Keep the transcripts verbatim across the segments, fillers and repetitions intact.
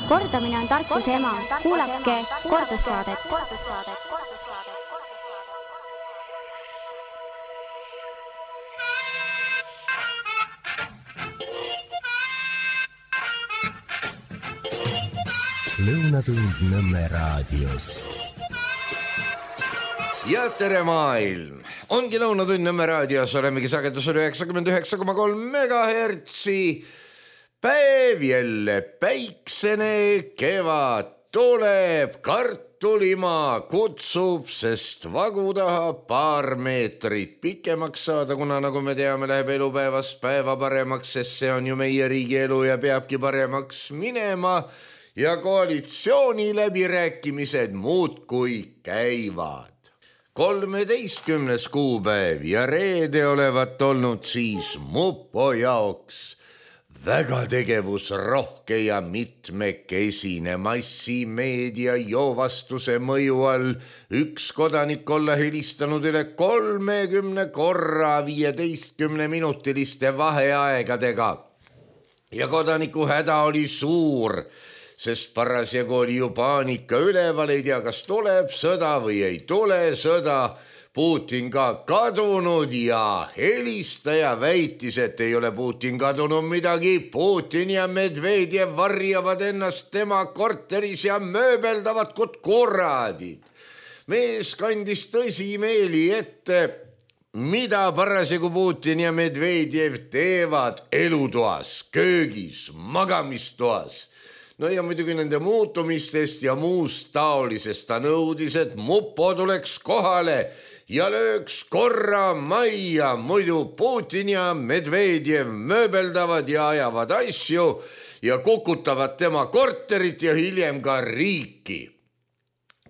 Kordamine on tarkuse ema. Kuulake kordussaadet. Lõunatund Nõmme raadios. Ja tere maailm! Ongi Lõunatund Nõmme raadios, olemegi sagedusel üheksakümmend üheksa koma kolm megahertsi. Päev jälle päiksene, kevad tuleb, kartulimaa kutsub, sest vagu tahab paar meetrit pikemaks saada, kuna nagu me teame, läheb elupäevast päeva paremaks, sest see on ju meie riigi elu ja peabki paremaks minema. Ja koalitsiooni läbirääkimised muudkui käivad. kolmeteistkümnes kuupäev ja reede olevat olnud siis Mupo jaoks väga tegevusrohke ja mitmekesine massimeedia joovastuse mõju all üks kodanik olla helistanud üle kolmekümne korra viieteistkümne minutiliste vaheaegadega. Ja kodaniku häda oli suur, sest parasjagu oli ju paanika üleval, ei tea, kas tuleb sõda või ei tule sõda. Putin ka kadunud ja helistaja väitis, et ei ole Putin kadunud midagi. Putin ja Medvedjev varjavad ennast tema korteris ja mööbeldavad kut kuradid. Mees kandis tõsimeeli ette, mida parasjagu Putin ja Medvedjev teevad elutoas, köögis, magamistoas. No ja muidugi nende muutumistest ja muust taolisest ta nõudis, et Mupo tuleks kohale ja lööks korra majja, muidu Putin ja Medvedjev mööbeldavad ja ajavad asju ja kukutavad tema korterit ja hiljem ka riiki.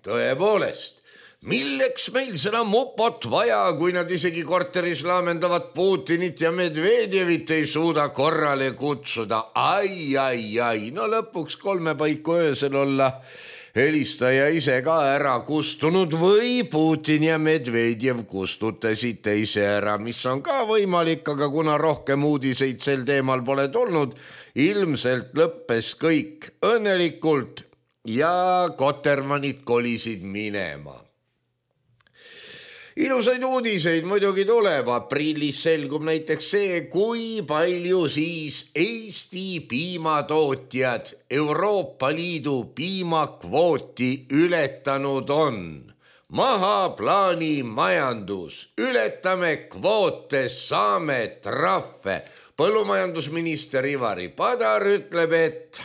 Tõepoolest, milleks meil seda Mupot vaja, kui nad isegi korteris laamendavad Putinit ja Medvedjevit ei suuda korrale kutsuda? Ai, ai, ai, no lõpuks kolme paiku öösel olla helistaja ise ka ära kustunud või Putin ja Medvedjev kustutasid teise ära, mis on ka võimalik, aga kuna rohkem uudiseid sel teemal pole tulnud, ilmselt lõppes kõik õnnelikult ja kotermanid kolisid minema. Ilusaid uudiseid muidugi tuleb. Aprillis selgub näiteks see, kui palju siis Eesti piimatootjad Euroopa Liidu piimakvooti ületanud on. Maha plaani majandus. Ületame kvoote, saame trahve. Põllumajandusminister Ivari Padar ütleb, et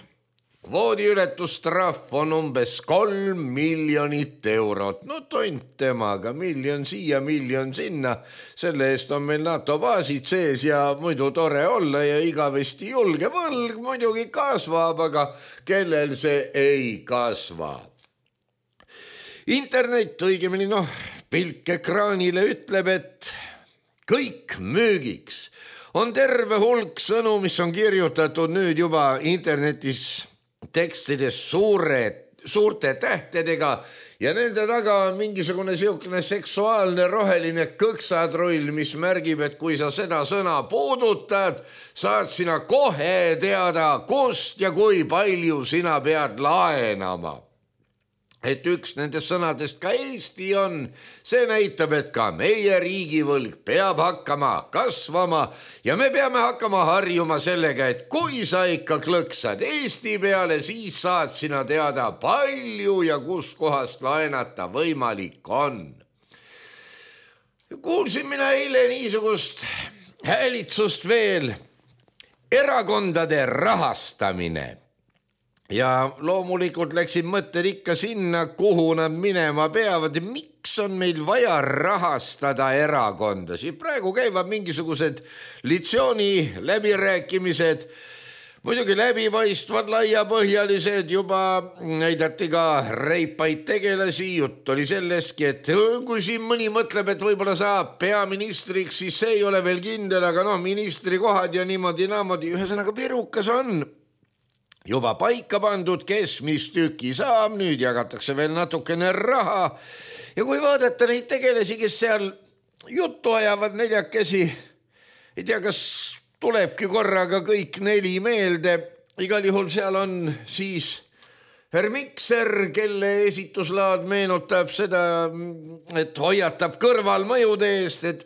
kvoodi ületustrahv on umbes kolm miljonit eurot. No tont temaga, miljon siia, miljon sinna. Selle eest on meil NATO baasid sees ja muidu tore olla ja igavesti julge. Võlg muidugi kasvab, aga kellel see ei kasva. Internet, õigemini noh, pilk ekraanile ütleb, et kõik müügiks. On terve hulk sõnu, mis on kirjutatud nüüd juba internetis tekstides suure, suurte tähtedega ja nende taga on mingisugune siukene seksuaalne roheline kõksatrull, mis märgib, et kui sa seda sõna puudutad, saad sina kohe teada, kust ja kui palju sina pead laenama. Et üks nendest sõnadest ka Eesti on, see näitab, et ka meie riigivõlg peab hakkama kasvama ja me peame hakkama harjuma sellega, et kui sa ikka klõksad Eesti peale, siis saad sina teada palju ja kus kohast laenata võimalik on. Kuulsin mina eile niisugust häälitsust veel, erakondade rahastamine. Ja loomulikult läksid mõtted ikka sinna, kuhu nad minema peavad. Miks on meil vaja rahastada erakondasi? Praegu käivad mingisugused litsiooni läbirääkimised, muidugi läbipaistvad, laiapõhjalised, juba näidati ka reipaid tegelasi. Jutt oli sellestki, et kui siin mõni mõtleb, et võib-olla saab peaministriks, siis see ei ole veel kindel, aga noh, ministri kohad ja niimoodi naamodi. Ühesõnaga pirukas on juba paika pandud, kes mis tüki saab, nüüd jagatakse veel natukene raha. Ja kui vaadata neid tegelasi, kes seal juttu ajavad neljakesi, ei tea, kas tulebki korraga kõik neli meelde. Igal juhul seal on siis Herr Mikser, kelle esituslaad meenutab seda, et hoiatab kõrvalmõjude eest, et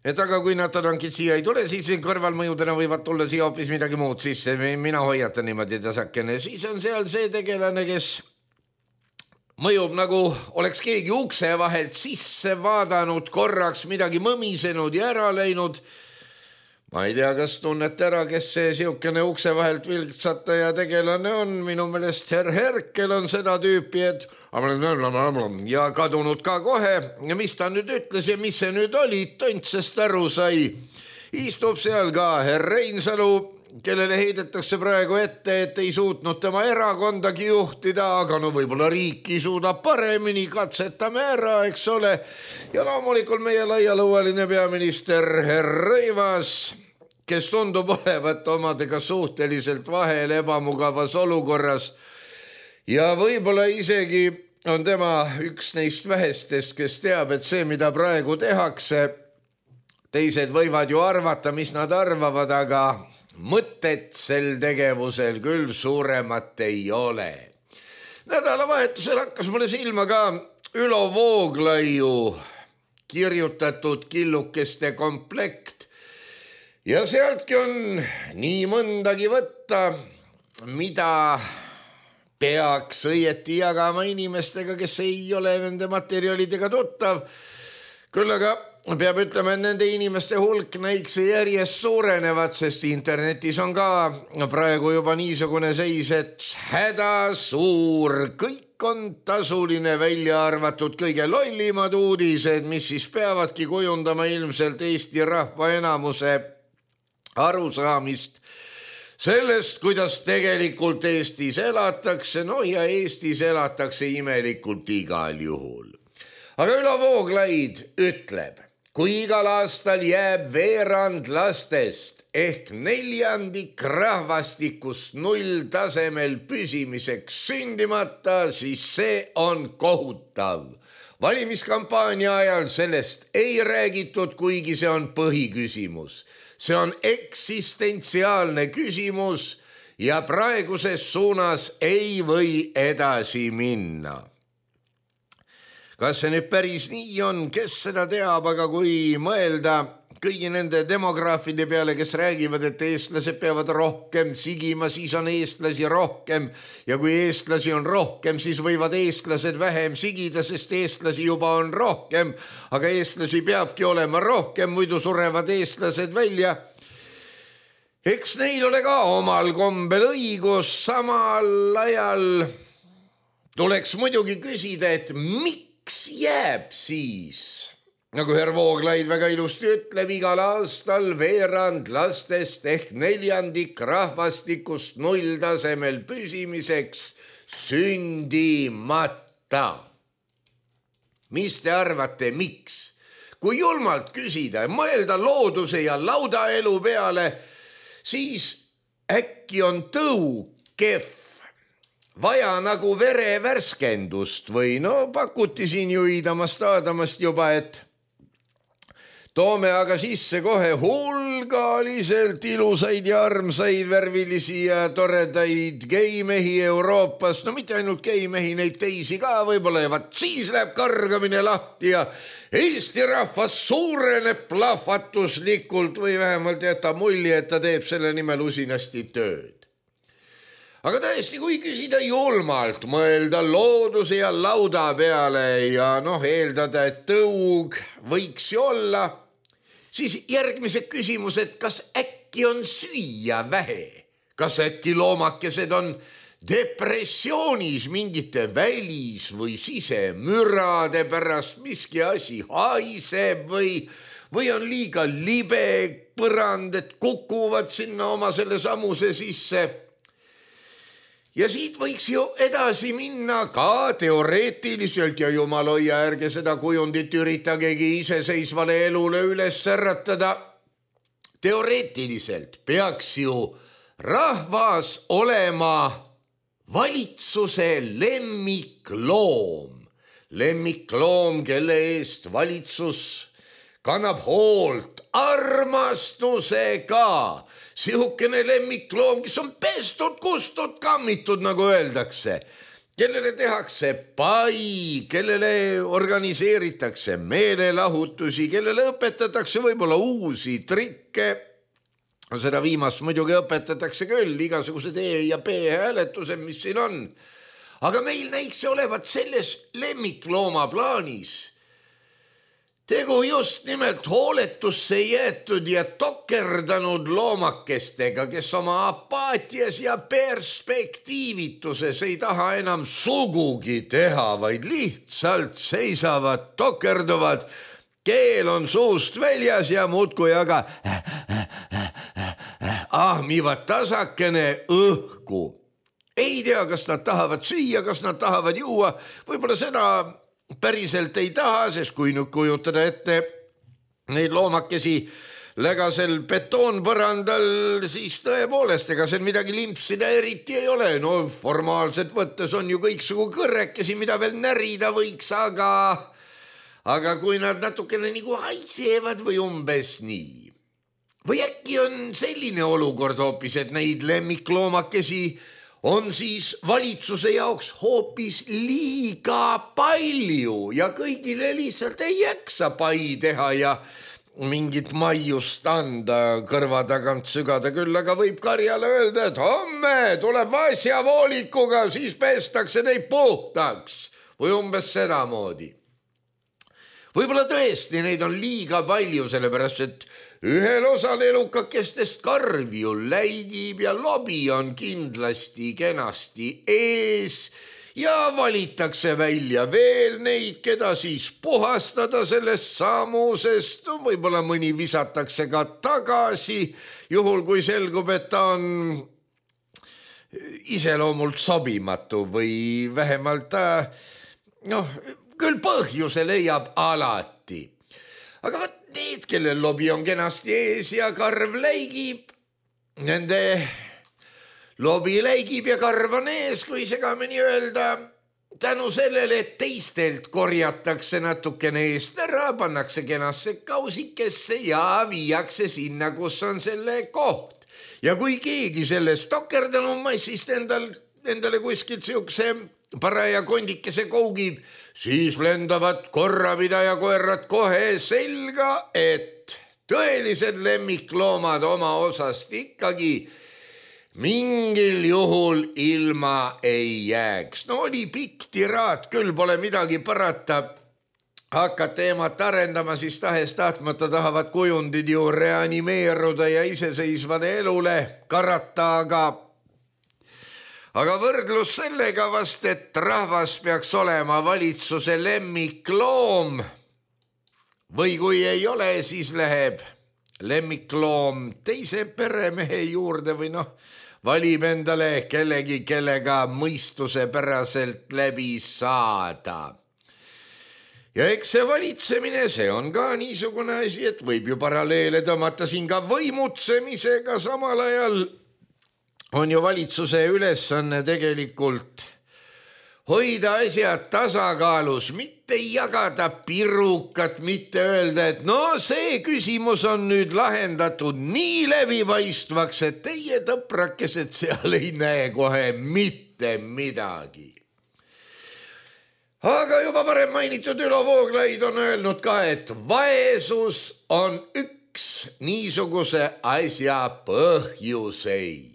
et aga kui nad tankid siia ei tule, siis kõrvalmõjudena võivad tulla siia hoopis midagi muud sisse. Mina hoiatan niimoodi tasakene. Siis on seal see tegelane, kes mõjub nagu oleks keegi ukse vahelt sisse vaadanud, korraks midagi mõmisenud ja ära läinud. Ma ei tea, kas tunnete ära, kes see siukene ukse vahelt vilksataja tegelane on. Minu meelest Herr Herkel on seda tüüpi, et ja kadunud ka kohe. Ja mis ta nüüd ütles ja mis see nüüd oli, tontsest aru sai. Istub seal ka Herr Reinsalu, kellele heidetakse praegu ette, et ei suutnud tema erakondagi juhtida, aga no võib-olla riiki suudab paremini, katsetame ära, eks ole. Ja loomulikult meie laialõualine peaminister Herr Rõivas, kes tundub olevat omadega suhteliselt vahel ebamugavas olukorras ja võib-olla isegi on tema üks neist vähestest, kes teab, et see, mida praegu tehakse, teised võivad ju arvata, mis nad arvavad, aga mõtet sel tegevusel küll suuremat ei ole. Nädalavahetusel hakkas mulle silma ka Ülo Vooglaiu kirjutatud killukeste komplekt ja sealtki on nii mõndagi võtta, mida peaks õieti jagama inimestega, kes ei ole nende materjalidega tuttav. Küll aga peab ütlema, et nende inimeste hulk näiks järjest suurenevad, sest internetis on ka praegu juba niisugune seis, et häda suur, kõik on tasuline, välja arvatud kõige lollimad uudised, mis siis peavadki kujundama ilmselt Eesti rahva enamuse arusaamist sellest, kuidas tegelikult Eestis elatakse, no ja Eestis elatakse imelikult igal juhul. Aga Ülo Vooglaid ütleb, kui igal aastal jääb veerand lastest ehk neljandik rahvastikust null tasemel püsimiseks sündimata, siis see on kohutav. Valimiskampaania ajal sellest ei räägitud, kuigi see on põhiküsimus. See on eksistentsiaalne küsimus ja praeguses suunas ei või edasi minna. Kas see nüüd päris nii on, kes seda teab, aga kui mõelda kõigi nende demograafide peale, kes räägivad, et eestlased peavad rohkem sigima, siis on eestlasi rohkem ja kui eestlasi on rohkem, siis võivad eestlased vähem sigida, sest eestlasi juba on rohkem, aga eestlasi peabki olema rohkem, muidu surevad eestlased välja. Eks neil ole ka omal kombel õigus, samal ajal tuleks muidugi küsida, et miks jääb siis, nagu Herr Vooglaid väga ilusti ütleb, igal aastal veerand lastest ehk neljandik rahvastikust null tasemel püsimiseks sündimata. Mis te arvate, miks? Kui julmalt küsida ja mõelda looduse ja laudaelu peale, siis äkki on tõu kehv. Vaja nagu verevärskendust või no pakuti siin ju iidamast aadamast juba, et toome aga sisse kohe hulgaliselt ilusaid ja armsaid värvilisi ja toredaid geimehi Euroopas, no mitte ainult geimehi, neid teisi ka võib-olla ja vaat siis läheb kargamine lahti ja Eesti rahvas suureneb plahvatuslikult või vähemalt jätab mulje, et ta teeb selle nimel usinasti tööd. Aga tõesti, kui küsida julmalt, mõelda looduse ja lauda peale ja noh, eeldada, et tõug võiks ju olla, siis järgmised küsimused, kas äkki on süüa vähe? Kas äkki loomakesed on depressioonis mingite välis- või sisemürade pärast, miski asi haiseb või, või on liiga libe põrand, et kukuvad sinna oma selle samuse sisse? Ja siit võiks ju edasi minna ka teoreetiliselt ja jumal hoia, ärge seda kujundit üritagegi iseseisvale elule üles äratada. Teoreetiliselt peaks ju rahvas olema valitsuse lemmikloom. Lemmikloom, kelle eest valitsus kannab hoolt, armastusega. Sihukene lemmikloom, kes on pestud, kustud, kammitud, nagu öeldakse. Kellele tehakse pai, kellele organiseeritakse meelelahutusi, kellele õpetatakse võib-olla uusi trikke. Seda viimast muidugi õpetatakse küll, igasugused E ja B hääletused, mis siin on. Aga meil näiks see olevat selles lemmiklooma plaanis. Tegu just nimelt hooletusse jäetud ja tokerdanud loomakestega, kes oma apaatias ja perspektiivituses ei taha enam sugugi teha, vaid lihtsalt seisavad, tokerduvad, keel on suust väljas ja muudkui aga ahmivad tasakene õhku. Ei tea, kas nad tahavad süüa, kas nad tahavad juua, võib-olla seda päriselt ei taha, sest kui nüüd kujutada ette neid loomakesi lägasel betoonpõrandal, siis tõepoolest, ega seal midagi limpsida eriti ei ole. No formaalselt võttes on ju kõiksugu kõrrekesi, mida veel närida võiks, aga, aga kui nad natukene nagu haisevad või umbes nii. Või äkki on selline olukord hoopis, et neid lemmikloomakesi on siis valitsuse jaoks hoopis liiga palju ja kõigile lihtsalt ei jaksa pai teha ja mingit maiust anda kõrva tagant sügada küll, aga võib karjale öelda, et homme tuleb vasjavoolikuga, siis pestakse neid puhtaks või umbes sedamoodi. Võib-olla tõesti neid on liiga palju, sellepärast et ühel osal elukakestest karv ju läigib ja lobi on kindlasti kenasti ees ja valitakse välja veel neid, keda siis puhastada sellest samusest. Võib-olla mõni visatakse ka tagasi, juhul kui selgub, et ta on iseloomult sobimatu või vähemalt ta, noh, küll põhjuse leiab alati. Aga võt need, kellel lobi on kenasti ees ja karv läigib, nende lobi läigib ja karv on ees, kui segamini öelda, tänu sellele, et teistelt korjatakse natukene eest ära, pannakse kenasse kausikesse ja viiakse sinna, kus on selle koht. Ja kui keegi sellest tokerdanud massist endal, endale kuskilt siukse paraja kondikese kougib, siis lendavad korrapidaja koerad kohe selga, et tõelised lemmikloomad oma osast ikkagi mingil juhul ilma ei jääks. No oli pikk tiraat, küll pole midagi parata. Hakkad teemat arendama, siis tahes tahtmata tahavad kujundid ju reanimeeruda ja iseseisvale elule karata, aga Aga võrdlus sellega vast, et rahvas peaks olema valitsuse lemmikloom või kui ei ole, siis läheb lemmikloom teise peremehe juurde või noh, valib endale kellegi, kellega mõistuse päraselt läbi saada. Ja eks see valitsemine, see on ka niisugune asi, et võib ju paralleele tõmmata siin ka võimutsemisega samal ajal. On ju valitsuse ülesanne tegelikult hoida asjad tasakaalus, mitte jagada pirukat, mitte öelda, et no see küsimus on nüüd lahendatud nii läbipaistvaks, et teie tõprakesed seal ei näe kohe mitte midagi. Aga juba varem mainitud Ülo Vooglaid on öelnud ka, et vaesus on üks niisuguse asja põhjuseid.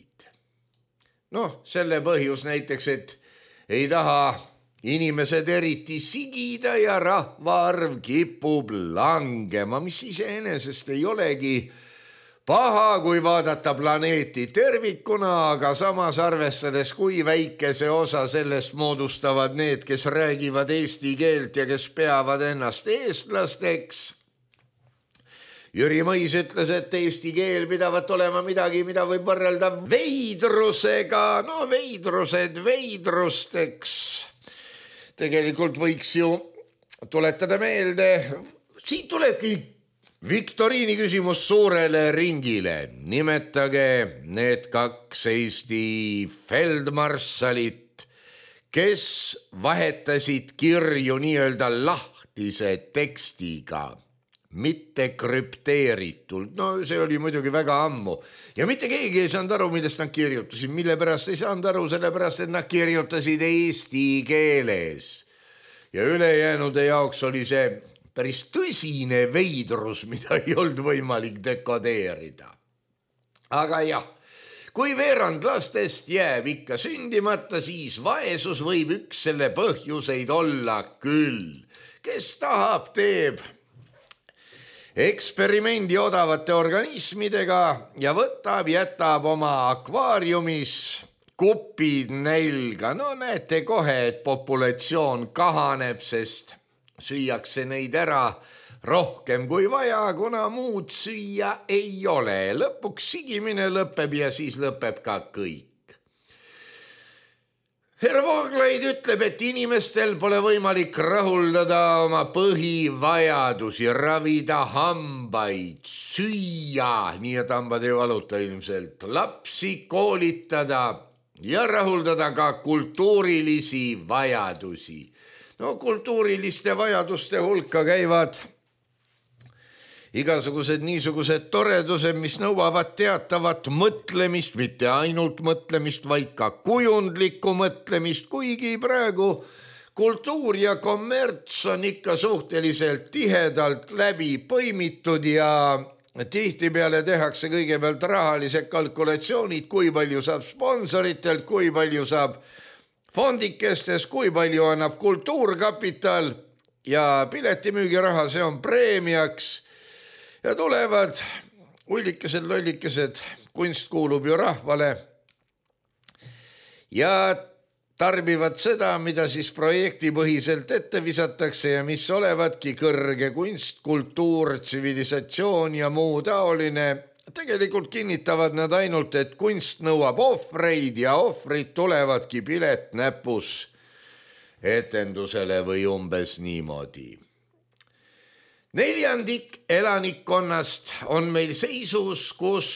Noh, selle põhjus näiteks, et ei taha inimesed eriti sigida ja rahvaarv kipub langema, mis iseenesest ei olegi paha, kui vaadata planeeti tervikuna, aga samas arvestades, kui väikese osa sellest moodustavad need, kes räägivad eesti keelt ja kes peavad ennast eestlasteks. Jüri Mõis ütles, et eesti keel pidavat olema midagi, mida võib võrrelda veidrusega. No veidrused veidrusteks. Tegelikult võiks ju tuletada meelde, siit tulebki viktoriini küsimus suurele ringile. Nimetage need kaks Eesti feldmarssalit, kes vahetasid kirju nii-öelda lahtise tekstiga. mitte krüpteeritult. No see oli muidugi väga ammu. Ja mitte keegi ei saanud aru, millest nad kirjutasid. Mille pärast ei saanud aru, sellepärast, et nad kirjutasid eesti keeles. Ja ülejäänude jaoks oli see päris tõsine veidrus, mida ei olnud võimalik dekodeerida. Aga jah, kui veerand lastest jääb ikka sündimata, siis vaesus võib üks selle põhjuseid olla küll. Kes tahab, teeb eksperimendi odavate organismidega ja võtab, jätab oma akvaariumis kupid nälga. No näete kohe, et populatsioon kahaneb, sest süüakse neid ära rohkem kui vaja, kuna muud süüa ei ole. Lõpuks sigimine lõpeb ja siis lõpeb ka kõik. Herr Vooglaid ütleb, et inimestel pole võimalik rahuldada oma põhivajadusi, ravida hambaid, süüa, nii et hambad ei valuta ilmselt, lapsi koolitada ja rahuldada ka kultuurilisi vajadusi. No kultuuriliste vajaduste hulka käivad igasugused niisugused toredused, mis nõuavad teatavat mõtlemist, mitte ainult mõtlemist, vaid ka kujundlikku mõtlemist, kuigi praegu kultuur ja kommerts on ikka suhteliselt tihedalt läbi põimitud ja tihtipeale tehakse kõigepealt rahalised kalkulatsioonid, kui palju saab sponsoritelt, kui palju saab fondikestes, kui palju annab kultuurkapital ja piletimüügiraha, see on preemiaks. Ja tulevad ullikesed, lollikesed, kunst kuulub ju rahvale ja tarbivad seda, mida siis projektipõhiselt ette visatakse ja mis olevadki kõrge kunst, kultuur, tsivilisatsioon ja muu taoline. Tegelikult kinnitavad nad ainult, et kunst nõuab ohvreid ja ohvrid tulevadki pilet näpus etendusele või umbes niimoodi. Neljandik elanikkonnast on meil seisus, kus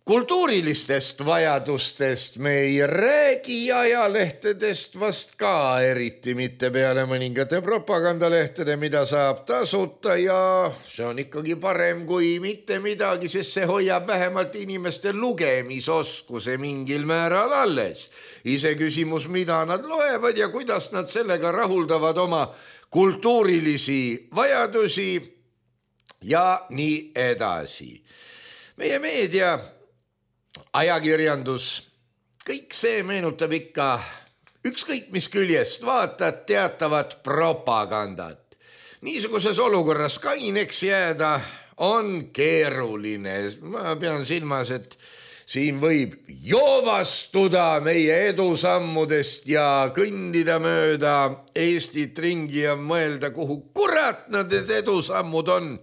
kultuurilistest vajadustest me ei räägi, ajalehtedest vast ka eriti mitte peale mõningate propagandalehtede, mida saab tasuta ja see on ikkagi parem kui mitte midagi, sest see hoiab vähemalt inimeste lugemisoskuse mingil määral alles. Ise küsimus, mida nad loevad ja kuidas nad sellega rahuldavad oma kultuurilisi vajadusi ja nii edasi. Meie meedia, ajakirjandus, kõik see meenutab ikka ükskõik mis küljest vaatad teatavat propagandat. Niisuguses olukorras kaineks jääda on keeruline. Ma pean silmas, et siin võib joovastuda meie edusammudest ja kõndida mööda Eestit ringi ja mõelda, kuhu kurat nad need edusammud on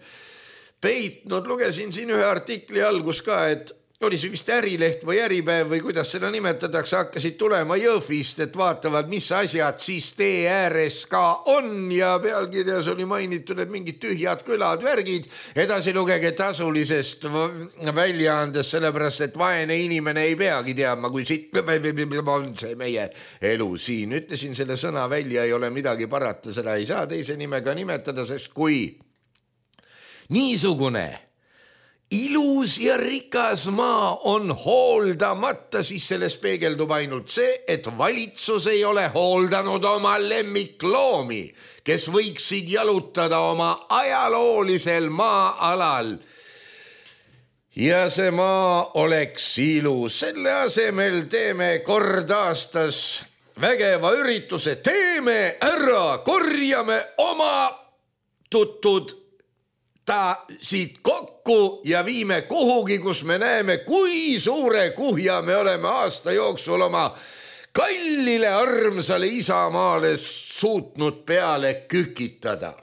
peitnud. Lugesin siin ühe artikli algus ka, et oli see vist Ärileht või Äripäev või kuidas seda nimetatakse, hakkasid tulema Jõhvist, et vaatavad, mis asjad siis tee ääres ka on ja pealkirjas oli mainitud, et mingid tühjad külad, värgid, edasi lugege tasulisest väljaandes, sellepärast, et vaene inimene ei peagi teadma, kui siit on see meie elu siin. Ütlesin selle sõna välja, ei ole midagi parata, seda ei saa teise nimega nimetada, sest kui niisugune ilus ja rikas maa on hooldamata, siis selles peegeldub ainult see, et valitsus ei ole hooldanud oma lemmikloomi, kes võiksid jalutada oma ajaloolisel maa-alal. Ja see maa oleks ilus. Selle asemel teeme kord aastas vägeva ürituse, teeme ära, korjame oma tutud ta siit kokku ja viime kuhugi, kus me näeme, kui suure kuhja me oleme aasta jooksul oma kallile armsale isamaale suutnud peale kükitada.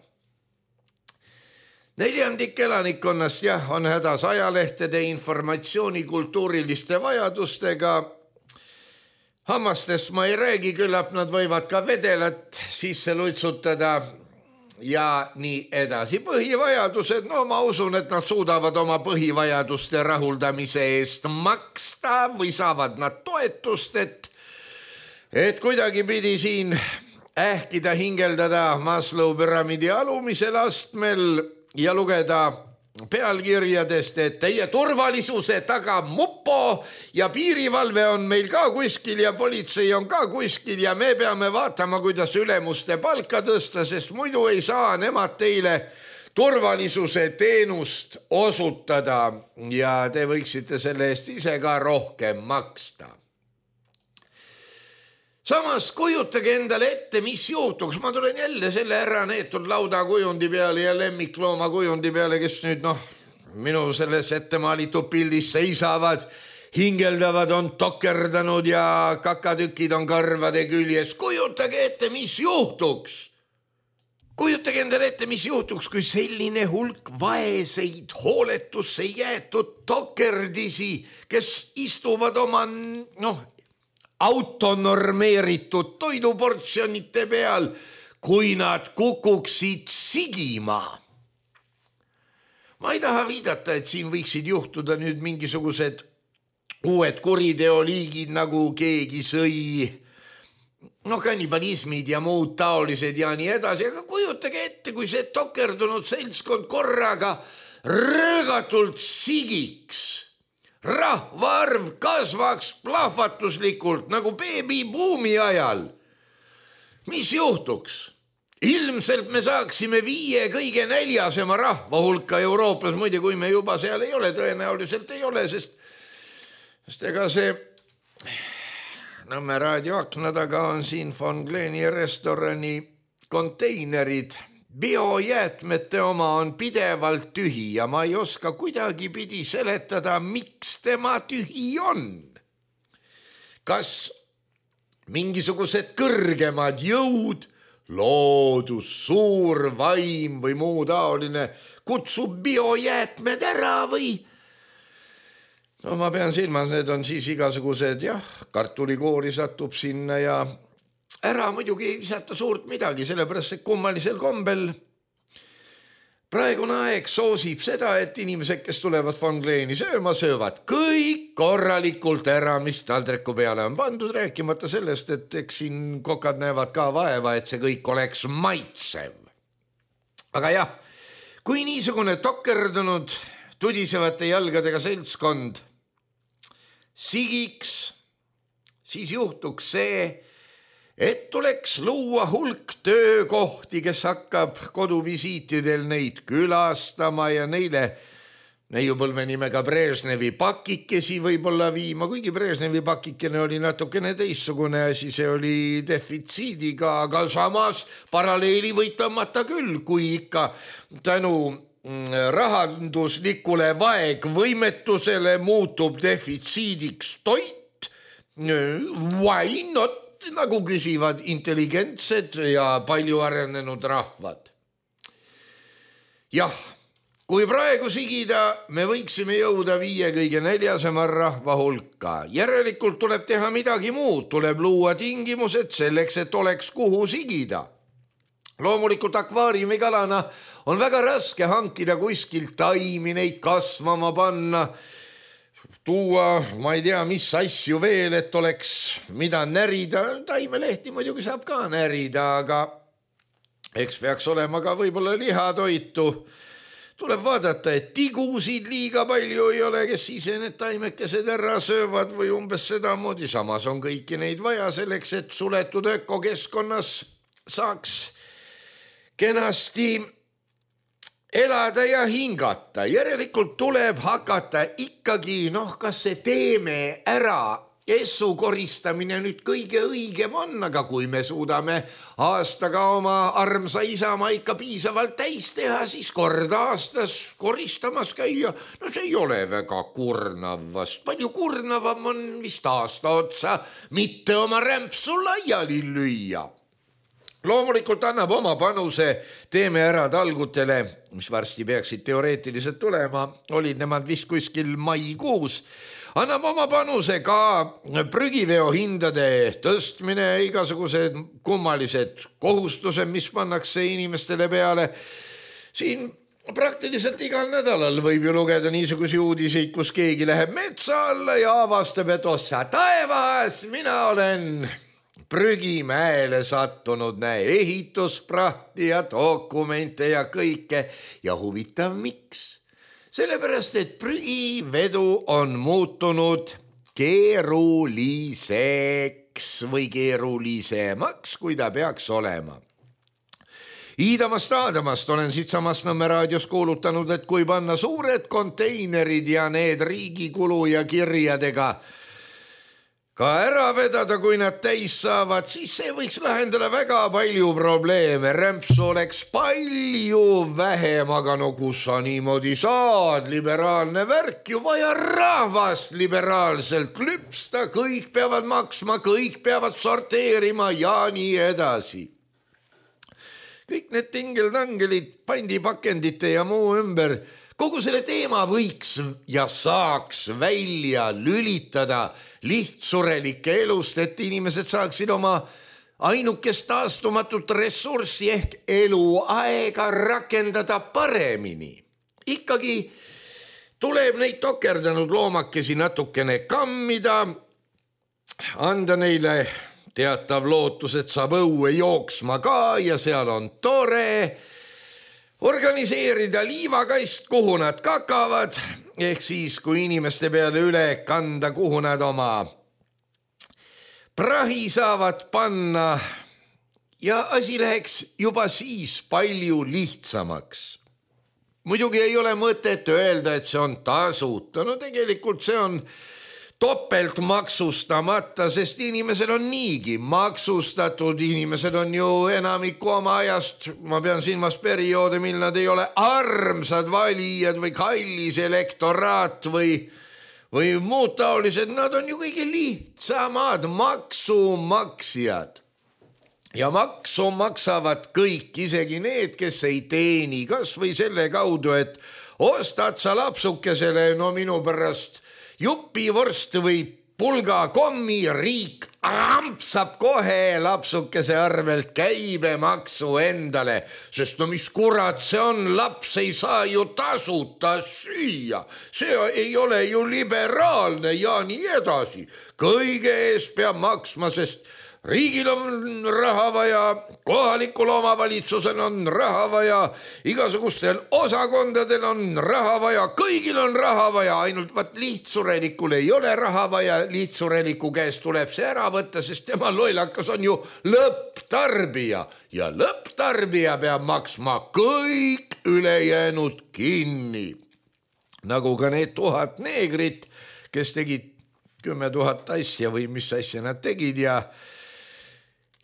Neljandik elanikkonnast jah, on hädas ajalehtede informatsiooni kultuuriliste vajadustega. Hammastest ma ei räägi, küllap nad võivad ka vedelat sisse lutsutada ja nii edasi. Põhivajadused, no ma usun, et nad suudavad oma põhivajaduste rahuldamise eest maksta või saavad nad toetust, et, et kuidagi pidi siin ähkida hingeldada Maslow püramiidi alumisel astmel ja lugeda pealkirjadest, et teie turvalisuse taga mupo ja piirivalve on meil ka kuskil ja politsei on ka kuskil ja me peame vaatama, kuidas ülemuste palka tõsta, sest muidu ei saa nemad teile turvalisuse teenust osutada ja te võiksite selle eest ise ka rohkem maksta. Samas kujutage endale ette, mis juhtuks. Ma tulen jälle selle ära neetud lauda kujundi peale ja lemmiklooma kujundi peale, kes nüüd noh, minu selles ettemaalitud pildis seisavad, hingeldavad, on tokerdanud ja kakatükid on karvade küljes. Kujutage ette, mis juhtuks. Kujutage endale ette, mis juhtuks, kui selline hulk vaeseid, hooletusse jäetud tokerdisi, kes istuvad oma, noh, autonormeeritud toiduportsjonite peal, kui nad kukuksid sigima. Ma ei taha viidata, et siin võiksid juhtuda nüüd mingisugused uued kuriteoliigid, nagu keegi sõi, no kannibalismid ja muud taolised ja nii edasi, aga kujutage ette, kui see tokerdunud seltskond korraga röögatult sigiks. Rahvaarv kasvaks plahvatuslikult nagu beebibuumi ajal. Mis juhtuks? Ilmselt me saaksime viie kõige näljasema rahva hulka Euroopas, muide kui me juba seal ei ole, tõenäoliselt ei ole, sest, sest ega see Nõmme raadioakna taga on siin von Gleni restorani konteinerid. Biojäätmete oma on pidevalt tühi ja ma ei oska kuidagi pidi seletada, miks tema tühi on. Kas mingisugused kõrgemad jõud, loodus, suur vaim või muu taoline kutsub biojäätmed ära või? No ma pean silmas, need on siis igasugused, jah, kartulikoori satub sinna ja ära muidugi ei visata suurt midagi, sellepärast et kummalisel kombel praegune aeg soosib seda, et inimesed, kes tulevad von Gleni sööma, söövad kõik korralikult ära, mis taldriku peale on pandud, rääkimata sellest, et eks siin kokad näevad ka vaeva, et see kõik oleks maitsev. Aga jah, kui niisugune tokerdunud tudisevate jalgadega seltskond sigiks, siis juhtuks see, et tuleks luua hulk töökohti, kes hakkab koduvisiitidel neid külastama ja neile neiupõlve nimega Brežnevi pakikesi võib-olla viima, kuigi Brežnevi pakikene oli natukene teissugune asi, see oli defitsiidiga, aga samas paralleeli võid tõmmata küll, kui ikka tänu rahanduslikule vaegvõimetusele muutub defitsiidiks toit, why not? Nagu küsivad intelligentsed ja palju arenenud rahvad. Jah, kui praegu sigida, me võiksime jõuda viie kõige neljasema rahva hulka. Järelikult tuleb teha midagi muud, tuleb luua tingimused selleks, et oleks kuhu sigida. Loomulikult akvaariumikalana on väga raske hankida kuskilt taimi, neid kasvama panna, tuua, ma ei tea, mis asju veel, et oleks mida närida. Taimelehti muidugi saab ka närida, aga eks peaks olema ka võib-olla lihatoitu. Tuleb vaadata, et tigusid liiga palju ei ole, kes ise need taimekesed ära söövad või umbes sedamoodi. Samas on kõiki neid vaja selleks, et suletud ökokeskkonnas saaks kenasti elada ja hingata. Järelikult tuleb hakata ikkagi, noh, kas see teeme ära, essu koristamine nüüd kõige õigem on, aga kui me suudame aastaga oma armsa isamaa ikka piisavalt täis teha, siis kord aastas koristamas käia, no see ei ole väga kurnav vast. Palju kurnavam on vist aasta otsa mitte oma rämpsu laiali lüüa. Loomulikult annab oma panuse teeme ära talgutele, mis varsti peaksid teoreetiliselt tulema, olid nemad vist kuskil maikuus, annab oma panuse ka prügiveo hindade tõstmine, igasugused kummalised kohustused, mis pannakse inimestele peale. Siin praktiliselt igal nädalal võib ju lugeda niisugusi uudiseid, kus keegi läheb metsa alla ja avastab, et ossa taevas, mina olen prügimäele sattunud, näe, ehitusprahti ja dokumente ja kõike. Ja huvitav, miks? Sellepärast, et prügivedu on muutunud keeruliseks või keerulisemaks, kui ta peaks olema. Iidamast Aadamast olen siitsamast Nõmme raadios kuulutanud, et kui panna suured konteinerid ja need riigikulu ja kirjadega ka ära vedada, kui nad täis saavad, siis see võiks lahendada väga palju probleeme. Rämpsu oleks palju vähem, aga no kus sa niimoodi saad? Liberaalne värk ju vaja rahvast liberaalselt lüpsta, kõik peavad maksma, kõik peavad sorteerima ja nii edasi. Kõik need tingeltangelid, pandipakendite ja muu ümber, kogu selle teema võiks ja saaks välja lülitada lihtsurelike elust, et inimesed saaksid oma ainukest taastumatut ressurssi ehk eluaega rakendada paremini. Ikkagi tuleb neid tokerdanud loomakesi natukene kammida, anda neile teatav lootus, et saab õue jooksma ka ja seal on tore, organiseerida liivakast, kuhu nad kakavad, ehk siis, kui inimeste peale üle kanda, kuhu nad oma prahi saavad panna ja asi läheks juba siis palju lihtsamaks. Muidugi ei ole mõtet öelda, et see on tasuta, no tegelikult see on topelt maksustamata, sest inimesed on niigi maksustatud, inimesed on ju enamiku oma ajast, ma pean silmas perioode, mil nad ei ole armsad valijad või kallis elektoraat või, või muud taolised, nad on ju kõige lihtsamad maksumaksjad. Ja maksu maksavad kõik, isegi need, kes ei teeni, kas või selle kaudu, et ostad sa lapsukesele, no minu pärast jupivorst või pulgakommi, riik ampsab kohe lapsukese arvelt käibemaksu endale, sest no mis kurat see on, laps ei saa ju tasuta süüa, see ei ole ju liberaalne ja nii edasi. Kõige eest peab maksma, sest riigil on raha vaja, kohalikul omavalitsusel on raha vaja, igasugustel osakondadel on raha vaja, kõigil on raha vaja, ainult vaat lihtsurelikul ei ole raha vaja, lihtsureliku käest tuleb see ära võtta, sest tema lollakas on ju lõpptarbija ja lõpptarbija peab maksma kõik ülejäänud kinni. Nagu ka need tuhat neegrit, kes tegid kümme tuhat asja või mis asja nad tegid ja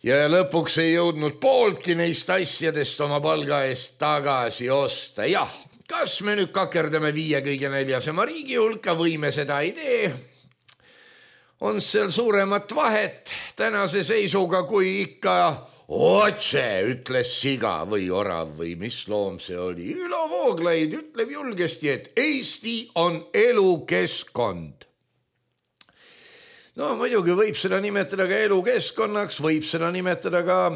Ja lõpuks ei jõudnud pooltki neist asjadest oma palga eest tagasi osta. Jah, kas me nüüd kakerdame viie kõige neljasema riigi hulka või me seda ei tee? On seal suuremat vahet tänase seisuga, kui ikka otse ütles siga või orav või mis loom see oli. Ülo Vooglaid ütleb julgesti, et Eesti on elukeskkond. No muidugi võib seda nimetada ka elukeskkonnaks, võib seda nimetada ka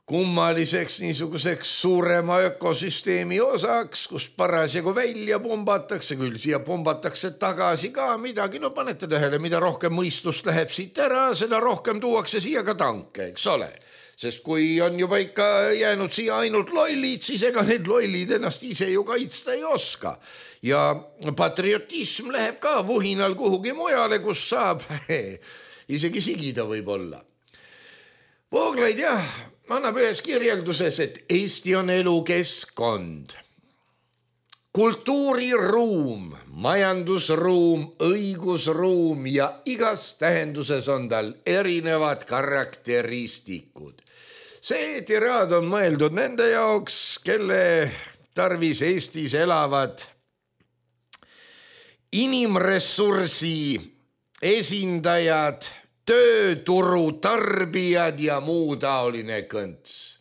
kummaliseks niisuguseks suurema ökosüsteemi osaks, kus parasjagu välja pumbatakse, küll siia pumbatakse tagasi ka midagi, no panete tähele, mida rohkem mõistust läheb siit ära, seda rohkem tuuakse siia ka tanke, eks ole. Sest kui on juba ikka jäänud siia ainult lollid, siis ega need lollid ennast ise ju kaitsta ei oska. Ja patriotism läheb ka vuhinal kuhugi mujale, kus saab isegi sigida võib olla. Vooglaid jah, annab ühes kirjelduses, et Eesti on elukeskkond. Kultuuriruum, majandusruum, õigusruum ja igas tähenduses on tal erinevad karakteristikud. See tiraad on mõeldud nende jaoks, kelle tarvis Eestis elavad inimressursi esindajad, tööturu tarbijad ja muu taoline kõnts.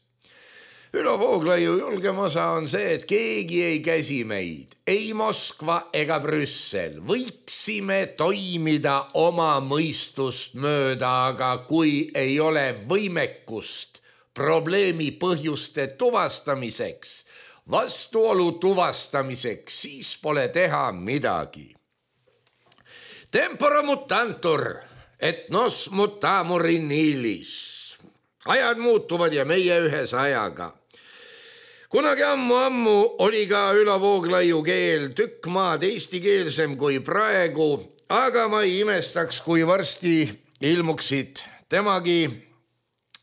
Ülo Vooglaiu julgem osa on see, et keegi ei käsi meid, ei Moskva ega Brüssel. Võiksime toimida oma mõistust mööda, aga kui ei ole võimekust probleemi põhjuste tuvastamiseks, vastuolu tuvastamiseks, siis pole teha midagi. Tempora mutantur, et nos mutamurin ilis. Ajad muutuvad ja meie ühes ajaga. Kunagi ammu-ammu oli ka Ülo Vooglaiu keel tükk maad eestikeelsem kui praegu, aga ma ei imestaks, kui varsti ilmuksid temagi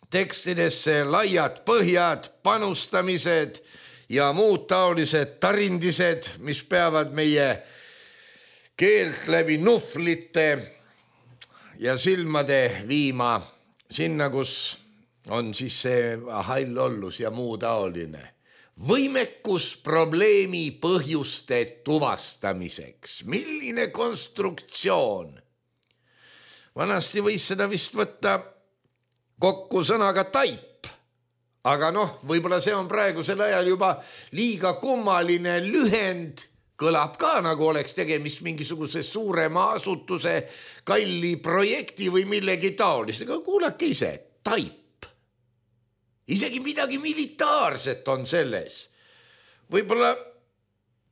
tekstidesse laiad põhjad, panustamised ja muud taolised tarindised, mis peavad meie keelt läbi nuhvlite ja silmade viima sinna, kus on siis see hall ollus ja muu taoline. Võimekus probleemi põhjuste tuvastamiseks. Milline konstruktsioon? Vanasti võis seda vist võtta kokku sõnaga taip, aga noh, võib-olla see on praegusel ajal juba liiga kummaline lühend, kõlab ka nagu oleks tegemist mingisuguse suurema asutuse kalli projekti või millegi taolist, aga kuulake ise, taip. Isegi midagi militaarset on selles. Võib-olla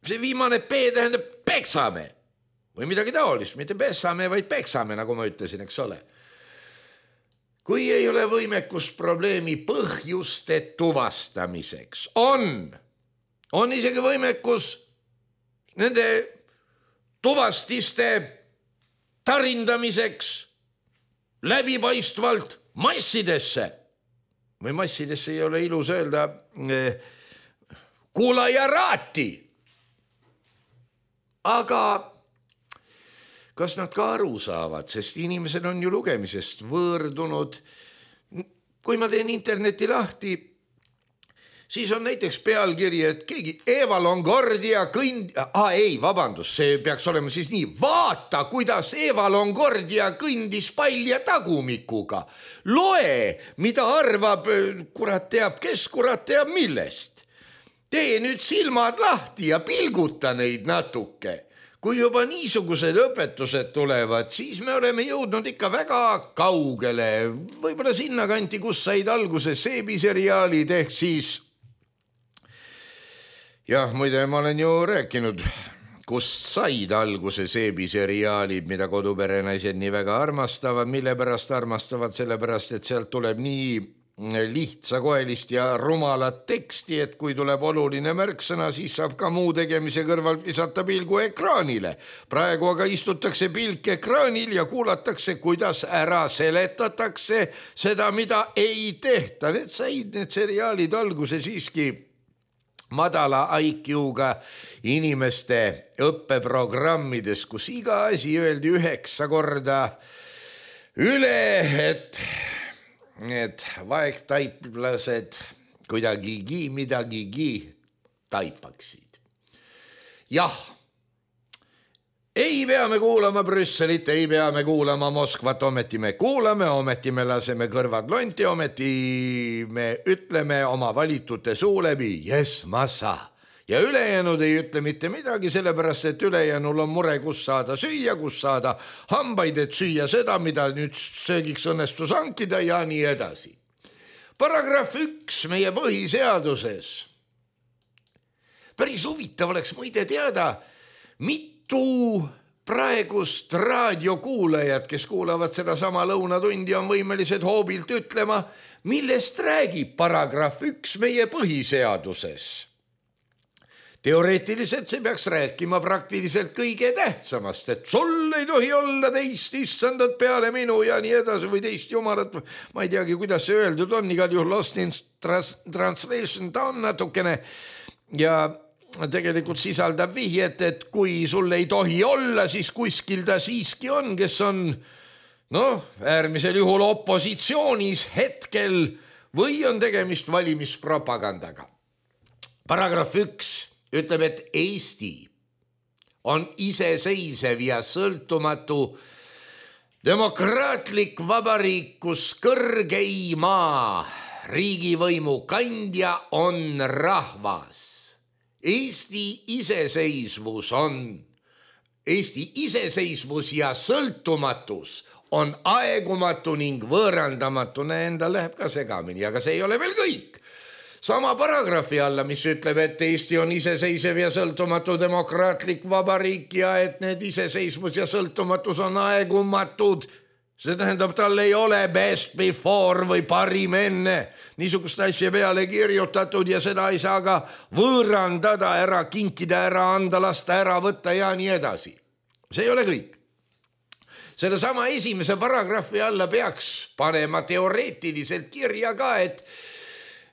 see viimane P tähendab peksame või midagi taolist, mitte pesame, vaid peksame, nagu ma ütlesin, eks ole. Kui ei ole võimekus probleemi põhjuste tuvastamiseks, on, on isegi võimekus nende tuvastiste tarindamiseks läbipaistvalt massidesse. Või massidesse ei ole ilus öelda eh, kuulajaraati. Aga kas nad ka aru saavad, sest inimesed on ju lugemisest võõrdunud. Kui ma teen interneti lahti, siis on näiteks pealkiri, et keegi Eva Longoria kõnd... Ah, ei, vabandust, see peaks olema siis nii. Vaata, kuidas Eva Longoria kõndis palja tagumikuga. Loe, mida arvab, kurat teab, kes kurat teab millest. Tee nüüd silmad lahti ja pilguta neid natuke. Kui juba niisugused õpetused tulevad, siis me oleme jõudnud ikka väga kaugele. Võib-olla sinna kanti, kus said alguse seebiseriaalid ehk siis... Jah, muide, ma olen ju rääkinud, kust said alguse seebiseriaalid, mida koduperenaised nii väga armastavad, mille pärast armastavad, sellepärast, et sealt tuleb nii lihtsakoelist ja rumalat teksti, et kui tuleb oluline märksõna, siis saab ka muu tegemise kõrvalt visata pilgu ekraanile. Praegu aga istutakse pilk ekraanil ja kuulatakse, kuidas ära seletatakse seda, mida ei tehta. Need said need seriaalid alguse siiski madala I Q-ga inimeste õppeprogrammides, kus iga asi öeldi üheksa korda üle, et need vaegtaiplased kuidagigi midagigi taipaksid. Jah, ei pea me kuulama Brüsselit, ei pea me kuulama Moskvat, ometi me kuulame, ometi me laseme kõrvad lonti, ometi me ütleme oma valitute suu läbi, yes, massa. Ja ülejäänud ei ütle mitte midagi, sellepärast, et ülejäänul on mure, kus saada süüa, kus saada hambaid, et süüa seda, mida nüüd söögiks õnnestus hankida ja nii edasi. Paragrahv üks meie põhiseaduses. Päris huvitav oleks muide teada, mitu praegust raadiokuulajad, kes kuulavad seda sama lõunatundi, on võimelised hoobilt ütlema, millest räägib paragrahv üks meie põhiseaduses. Teoreetiliselt see peaks rääkima praktiliselt kõige tähtsamast, et sul ei tohi olla teist issandat peale minu ja nii edasi või teist jumalat. Ma ei teagi, kuidas see öeldud on, igal juhul lost in translation ta on natukene ja tegelikult sisaldab vihjet, et kui sul ei tohi olla, siis kuskil ta siiski on, kes on noh, äärmisel juhul opositsioonis hetkel või on tegemist valimispropagandaga. Paragrahv üks ütleb, et Eesti on iseseisev ja sõltumatu demokraatlik vabariik, kus kõrgeima riigivõimu kandja on rahvas. Eesti iseseisvus on, Eesti iseseisvus ja sõltumatus on aegumatu ning võõrandamatu. Endal läheb ka segamini, aga see ei ole veel kõik. Sama paragrahvi alla, mis ütleb, et Eesti on iseseisev ja sõltumatu demokraatlik vabariik ja et need iseseisvus ja sõltumatus on aegumatud, See tähendab, tal ei ole best before või parim enne niisugust asja peale kirjutatud ja seda ei saa ka võõrandada, ära kinkida, ära anda, lasta ära võtta ja nii edasi. See ei ole kõik. Selle sama esimese paragrahvi alla peaks panema teoreetiliselt kirja ka, et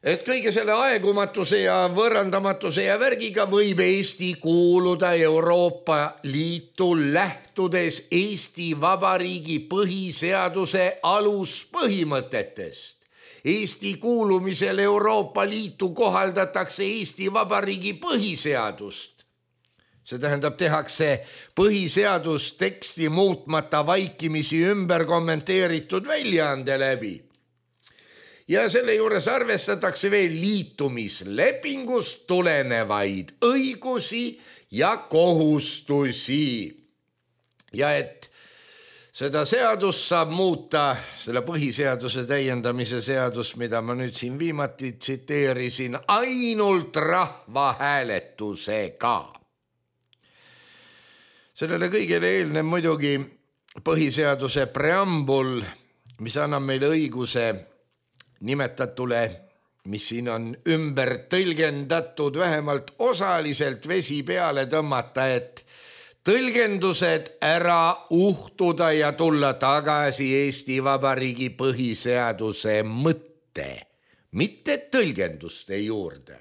et kõige selle aegumatuse ja võõrandamatuse ja värgiga võib Eesti kuuluda Euroopa Liitu lähtudes Eesti Vabariigi põhiseaduse aluspõhimõtetest. Eesti kuulumisel Euroopa Liitu kohaldatakse Eesti Vabariigi põhiseadust. See tähendab, tehakse põhiseadusteksti muutmata vaikimisi ümber kommenteeritud väljaande läbi. Ja selle juures arvestatakse veel liitumislepingust tulenevaid õigusi ja kohustusi. Ja et seda seadust saab muuta, selle põhiseaduse täiendamise seadust, mida ma nüüd siin viimati tsiteerisin, ainult rahvahääletusega. Sellele kõigele eelnev muidugi põhiseaduse preambul, mis annab meile õiguse nimetatule, mis siin on ümber tõlgendatud, vähemalt osaliselt vesi peale tõmmata, et tõlgendused ära uhtuda ja tulla tagasi Eesti Vabariigi põhiseaduse mõtte, mitte tõlgenduste juurde.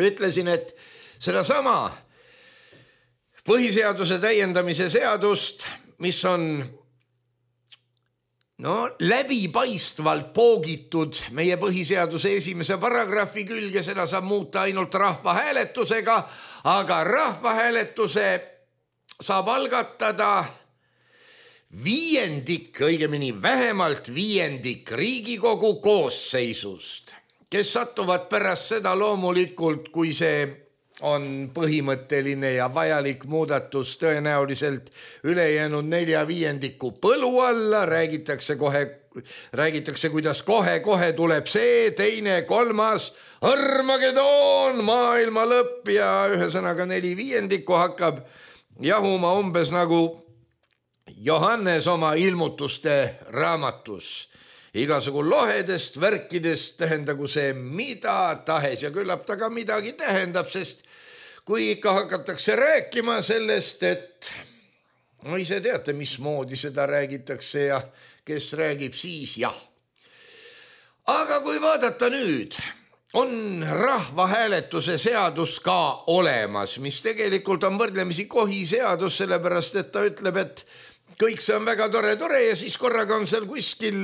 Ütlesin, et sedasama põhiseaduse täiendamise seadust, mis on no läbipaistvalt poogitud meie põhiseaduse esimese paragrahvi külge, seda saab muuta ainult rahvahääletusega, aga rahvahääletuse saab algatada viiendik, õigemini vähemalt viiendik Riigikogu koosseisust, kes satuvad pärast seda loomulikult, kui see on põhimõtteline ja vajalik muudatus tõenäoliselt ülejäänud nelja viiendiku põlu alla, räägitakse kohe, räägitakse, kuidas kohe-kohe tuleb see, teine, kolmas, Armageddon, maailma lõpp ja ühesõnaga neli viiendikku hakkab jahuma umbes nagu Johannes oma ilmutuste raamatus. Igasugu lohedest, värkidest, tähendagu see mida tahes ja küllap ta ka midagi tähendab, sest kui ikka hakatakse rääkima sellest, et no ise teate, mismoodi seda räägitakse ja kes räägib siis, jah. Aga kui vaadata nüüd, on rahvahääletuse seadus ka olemas, mis tegelikult on võrdlemisi kohi seadus, sellepärast et ta ütleb, et kõik see on väga tore, tore ja siis korraga on seal kuskil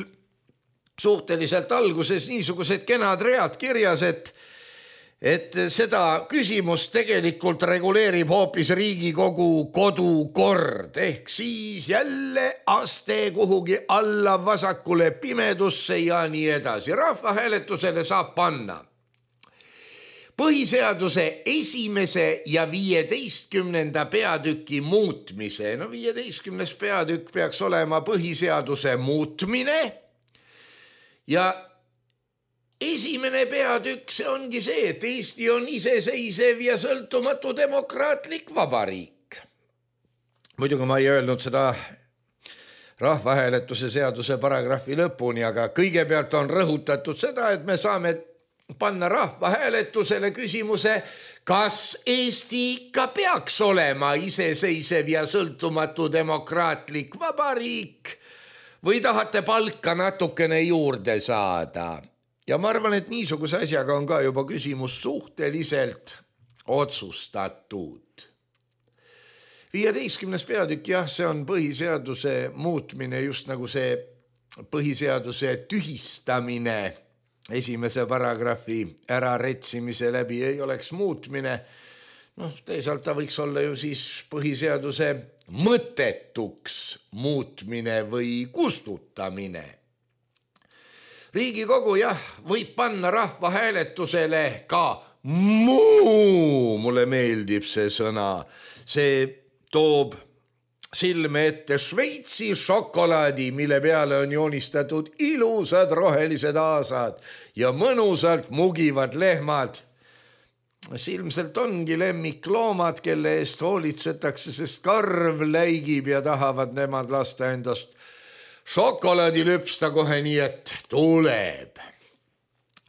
suhteliselt alguses niisugused kenad read kirjas, et, et seda küsimust tegelikult reguleerib hoopis Riigikogu kodukord, ehk siis jälle aste kuhugi alla vasakule pimedusse ja nii edasi. Rahvahääletusele saab panna põhiseaduse esimese ja viieteistkümnenda peatüki muutmise. No viieteistkümnes peatükk peaks olema põhiseaduse muutmine. Ja esimene peatükk, see ongi see, et Eesti on iseseisev ja sõltumatu demokraatlik vabariik. Muidugi ma ei öelnud seda rahvahääletuse seaduse paragrahvi lõpuni, aga kõigepealt on rõhutatud seda, et me saame panna rahvahääletusele küsimuse, kas Eesti ikka peaks olema iseseisev ja sõltumatu demokraatlik vabariik või tahate palka natukene juurde saada. Ja ma arvan, et niisuguse asjaga on ka juba küsimus suhteliselt otsustatud. viieteistkümnes peatükk, jah, see on põhiseaduse muutmine, just nagu see põhiseaduse tühistamine esimese paragrahvi äraretsimise läbi ei oleks muutmine. Noh, teisalt ta võiks olla ju siis põhiseaduse mõttetuks muutmine või kustutamine. Riigikogu, jah, võib panna rahvahääletusele ka muu, mulle meeldib see sõna, see toob silme ette Šveitsi šokolaadi, mille peale on joonistatud ilusad rohelised aasad ja mõnusalt mugivad lehmad. Ilmselt ongi lemmikloomad, kelle eest hoolitsetakse, sest karv läigib ja tahavad nemad lasta endast šokolaadi lüpsta kohe nii, et tuleb.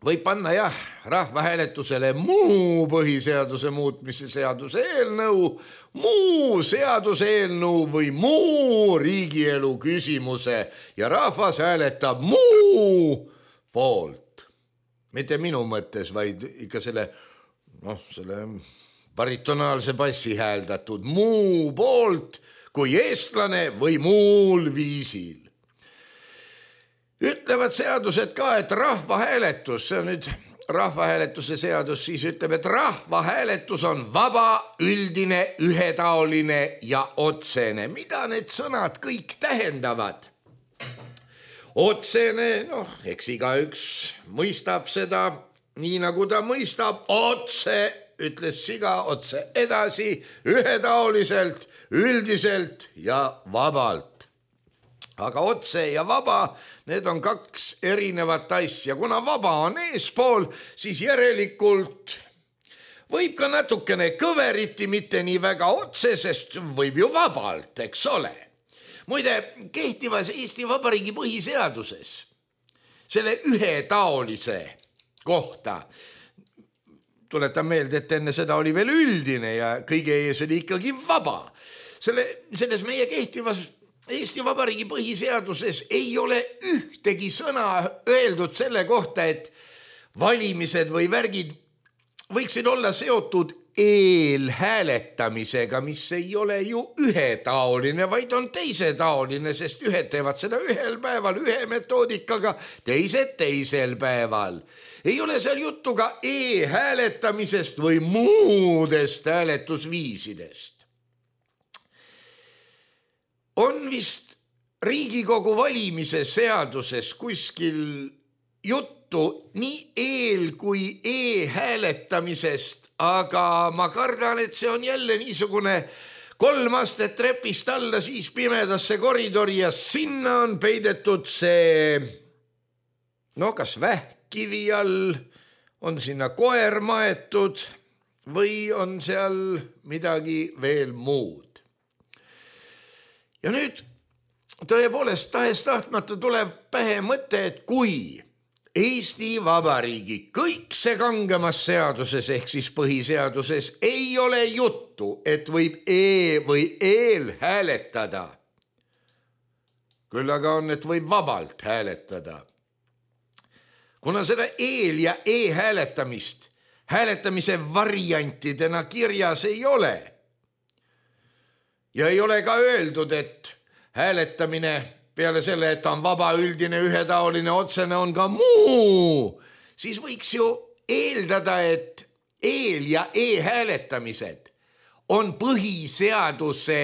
Võib panna jah, rahvahääletusele muu põhiseaduse muutmise seaduse eelnõu, muu seaduse eelnõu või muu riigielu küsimuse ja rahvas hääletab muu poolt. Mitte minu mõttes, vaid ikka selle, noh, selle baritonaalse bassi hääldatud muu poolt kui eestlane või muul viisil. Ütlevad seadused ka, et rahvahääletus, see on nüüd rahvahääletuse seadus, siis ütleb, et rahvahääletus on vaba, üldine, ühetaoline ja otsene. Mida need sõnad kõik tähendavad? Otsene, noh, eks igaüks mõistab seda nii nagu ta mõistab, otse, ütles siga otse edasi, ühetaoliselt, üldiselt ja vabalt. Aga otse ja vaba, need on kaks erinevat asja. Kuna vaba on eespool, siis järelikult võib ka natukene kõveriti, mitte nii väga otse, sest võib ju vabalt, eks ole. Muide, kehtivas Eesti Vabariigi põhiseaduses selle ühetaolise kohta, tuletan meelde, et enne seda oli veel üldine ja kõige ees oli ikkagi vaba. Selle, selles meie kehtivas Eesti Vabariigi põhiseaduses ei ole ühtegi sõna öeldud selle kohta, et valimised või värgid võiksid olla seotud eelhääletamisega, mis ei ole ju ühetaoline, vaid on teisetaoline, sest ühed teevad seda ühel päeval ühe metoodikaga, teised teisel päeval. Ei ole seal juttu ka e-hääletamisest või muudest hääletusviisidest. On vist Riigikogu valimise seaduses kuskil juttu nii eel- kui e-hääletamisest, aga ma kardan, et see on jälle niisugune kolm astet trepist alla, siis pimedasse koridori ja sinna on peidetud see, no kas vähkivi all, on sinna koer maetud või on seal midagi veel muud. Ja nüüd tõepoolest tahes tahtmata tuleb pähe mõte, et kui Eesti Vabariigi kõik see kangemas seaduses ehk siis põhiseaduses ei ole juttu, et võib e- või eel hääletada, küll aga on, et võib vabalt hääletada. Kuna seda eel- ja e-hääletamist hääletamise variantidena kirjas ei ole, ja ei ole ka öeldud, et hääletamine peale selle, et on vaba, üldine, ühetaoline, otsene, on ka muu, siis võiks ju eeldada, et eel- ja e-hääletamised on põhiseaduse,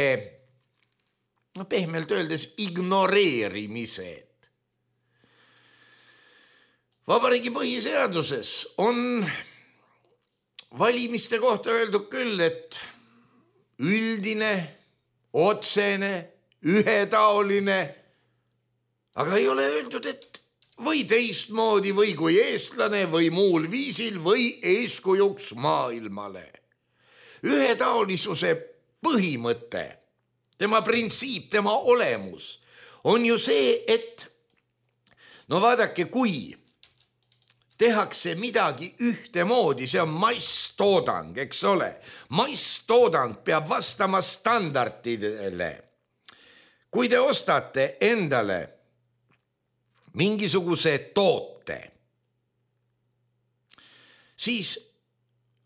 no pehmelt öeldes, ignoreerimised. Vabariigi põhiseaduses on valimiste kohta öeldud küll, et üldine, otsene, ühetaoline, aga ei ole öeldud, et või teistmoodi või kui eestlane või muul viisil või eeskujuks maailmale. Ühetaolisuse põhimõte, tema printsiip, tema olemus on ju see, et no vaadake, kui tehakse midagi ühtemoodi, see on masstoodang, eks ole. Masstoodang peab vastama standardidele. Kui te ostate endale mingisuguse toote, siis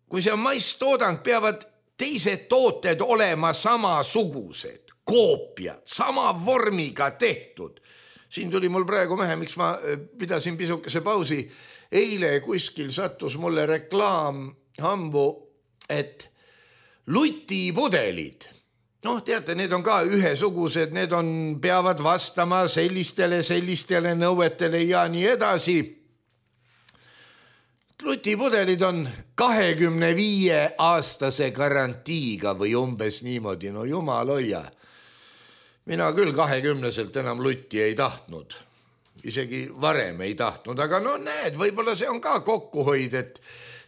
kui see on masstoodang, peavad teised tooted olema samasugused, koopiad, sama vormiga tehtud. Siin tuli mul praegu mehe, miks ma pidasin pisukese pausi. Eile kuskil sattus mulle reklaam hambu, et lutipudelid, noh, teate, need on ka ühesugused, need on, peavad vastama sellistele, sellistele nõuetele ja nii edasi. Lutipudelid on kahekümne viie aastase garantiiga või umbes niimoodi, no jumal hoia. Mina küll kahekümneselt enam lutti ei tahtnud. Isegi varem ei tahtnud, aga no näed, võib-olla see on ka kokkuhoid, et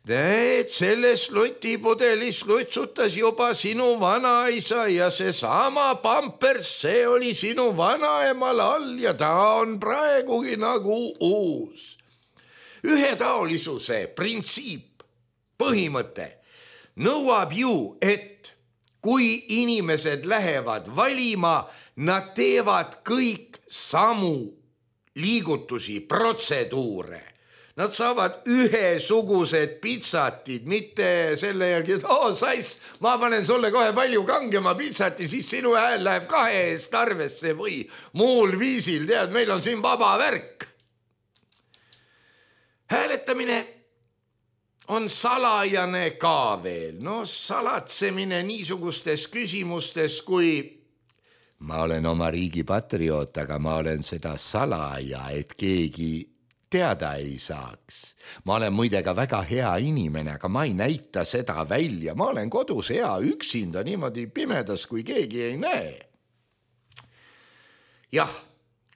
et selles lotipudelis lutsutas juba sinu vanaisa ja seesama pampers, see oli sinu vanaemal all ja ta on praegugi nagu uus. Ühetaolisuse printsiip, põhimõte nõuab ju, et kui inimesed lähevad valima, nad teevad kõik samu liigutusi, protseduure. Nad saavad ühesugused pitsatid, mitte selle järgi, et oo sais, ma panen sulle kohe palju kangema pitsati, siis sinu hääl läheb kahe eest arvesse või muul viisil, tead, meil on siin vaba värk. Hääletamine on salajane ka veel, no salatsemine niisugustes küsimustes, kui ma olen oma riigi patrioot, aga ma olen seda salaja, et keegi teada ei saaks. Ma olen muide ka väga hea inimene, aga ma ei näita seda välja. Ma olen kodus hea üksinda niimoodi pimedas, kui keegi ei näe. Jah,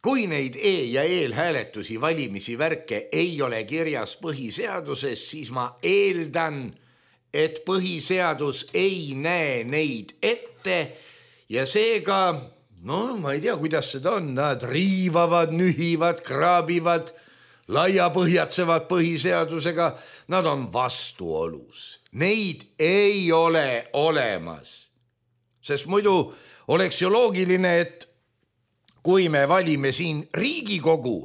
kui neid e- ja eelhääletusi, valimisi, värke ei ole kirjas põhiseaduses, siis ma eeldan, et põhiseadus ei näe neid ette ja seega, no ma ei tea, kuidas seda on, nad riivavad, nühivad, kraabivad, laiapõhjatsevad põhiseadusega, nad on vastuolus. Neid ei ole olemas. Sest muidu oleks ju loogiline, et kui me valime siin Riigikogu,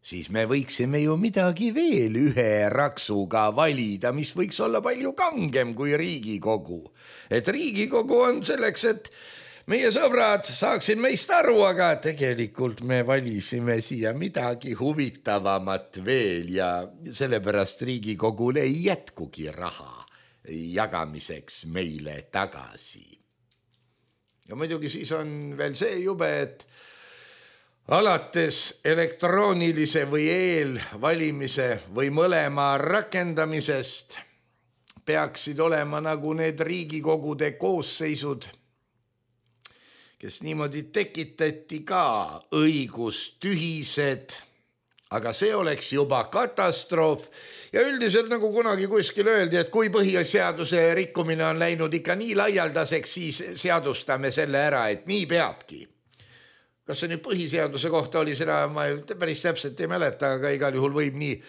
siis me võiksime ju midagi veel ühe raksuga valida, mis võiks olla palju kangem kui Riigikogu. Et Riigikogu on selleks, et meie sõbrad saaksid meist aru, aga tegelikult me valisime siia midagi huvitavamat veel ja sellepärast Riigikogul ei jätkugi raha jagamiseks meile tagasi. Ja muidugi siis on veel see jube, et alates elektroonilise või eelvalimise või mõlema rakendamisest peaksid olema nagu need Riigikogude koosseisud, kes niimoodi tekitati ka õigustühised, aga see oleks juba katastroof. Ja üldiselt nagu kunagi kuskil öeldi, et kui põhiseaduse rikkumine on läinud ikka nii laialdaseks, siis seadustame selle ära, et nii peabki. Kas see nüüd põhiseaduse kohta oli seda, ma päris täpselt ei mäleta, aga igal juhul võib nii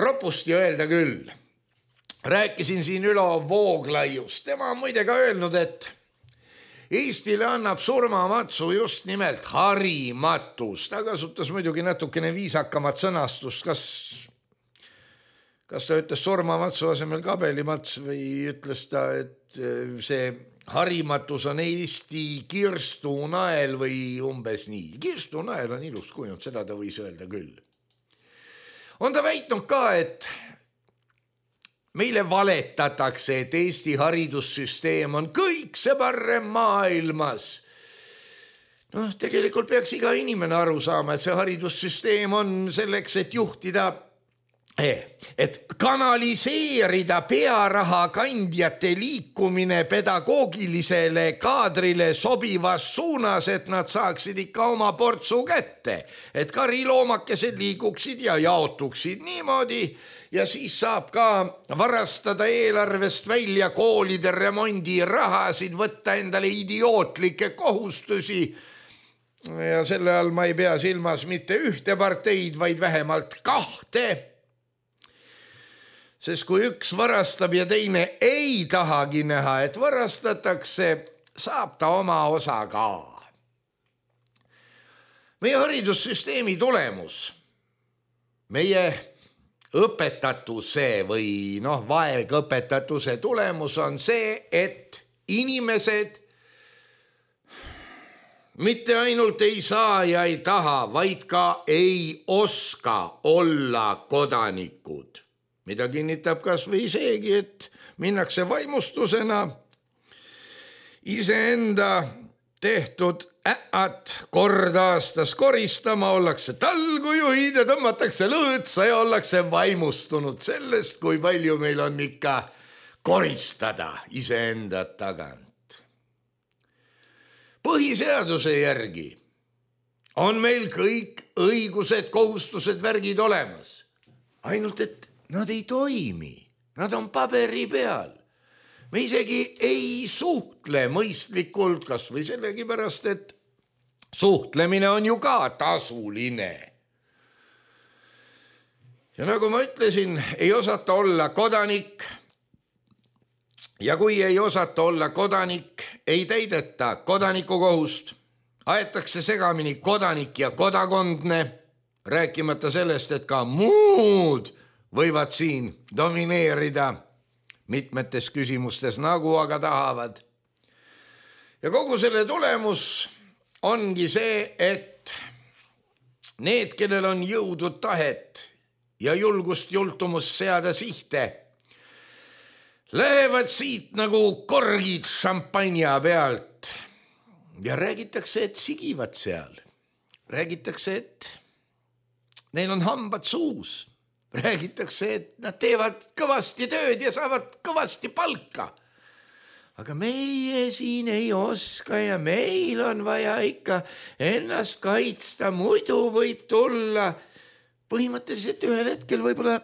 ropusti öelda küll. Rääkisin siin Ülo Vooglaiust. Tema on muide ka öelnud, et Eestile annab surmamatsu just nimelt harimatus. Ta kasutas muidugi natukene viisakamat sõnastust. Kas, kas ta ütles surmamatsu asemel kabelimats või ütles ta, et see harimatus on Eesti kirstunael või umbes nii. Kirstunael on ilus kujund, seda ta võis öelda küll. On ta väitnud ka, et meile valetatakse, et Eesti haridussüsteem on kõik see parem maailmas. Noh, tegelikult peaks iga inimene aru saama, et see haridussüsteem on selleks, et juhtida, et kanaliseerida pearaha kandjate liikumine pedagoogilisele kaadrile sobivas suunas, et nad saaksid ikka oma portsu kätte, et kariloomakesed liiguksid ja jaotuksid niimoodi, ja siis saab ka varastada eelarvest välja koolide remondi rahasid, võtta endale idiootlikke kohustusi. Ja selle all ma ei pea silmas mitte ühte parteid, vaid vähemalt kahte. Sest kui üks varastab ja teine ei tahagi näha, et varastatakse, saab ta oma osa ka. Meie haridussüsteemi tulemus, meie õpetatuse või noh, vaegõpetatuse tulemus on see, et inimesed mitte ainult ei saa ja ei taha, vaid ka ei oska olla kodanikud. Mida kinnitab kas või seegi, et minnakse vaimustusena iseenda tehtud äät kord aastas koristama, ollakse talgujuhid ja tõmmatakse lõõtsa ja ollakse vaimustunud sellest, kui palju meil on ikka koristada iseenda tagant. Põhiseaduse järgi on meil kõik õigused, kohustused, värgid olemas. Ainult, et nad ei toimi, nad on paberi peal. Me isegi ei suhtle mõistlikult, kas või sellegi pärast, et suhtlemine on ju ka tasuline. Ja nagu ma ütlesin, ei osata olla kodanik. Ja kui ei osata olla kodanik, ei täideta kodanikukohust. Aetakse segamini kodanik ja kodakondne, rääkimata sellest, et ka muud võivad siin domineerida mitmetes küsimustes, nagu aga tahavad. Ja kogu selle tulemus ongi see, et need, kellel on jõudu tahet ja julgust jultumust seada sihte, lähevad siit nagu korgid šampanja pealt ja räägitakse, et sigivad seal. Räägitakse, et neil on hambad suus. Räägitakse, et nad teevad kõvasti tööd ja saavad kõvasti palka. Aga meie siin ei oska ja meil on vaja ikka ennast kaitsta, muidu võib tulla. Põhimõtteliselt ühel hetkel võib-olla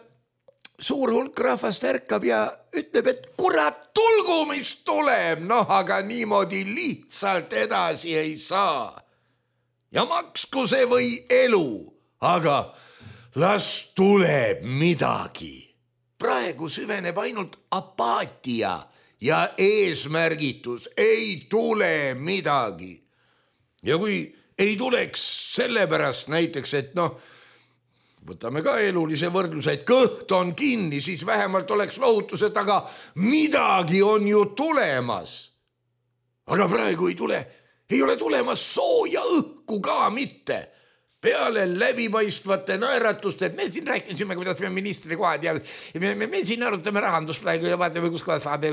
suur hulk rahvast ärkab ja ütleb, et kurat, tulgu mis tuleb, noh, aga niimoodi lihtsalt edasi ei saa. Ja maksku see või elu, aga las tuleb midagi. Praegu süveneb ainult apaatia ja eesmärgitus, ei tule midagi. Ja kui ei tuleks sellepärast näiteks, et noh, võtame ka elulise võrdluse, et kõht on kinni, siis vähemalt oleks lohutus, et aga midagi on ju tulemas. Aga praegu ei tule, ei ole tulemas sooja õhku ka mitte. Peale läbipaistvate naeratuste, et me siin rääkisime, kuidas me ministri kohad ja me, me, me siin arutame rahandust praegu ja vaatame, kus kohas saab.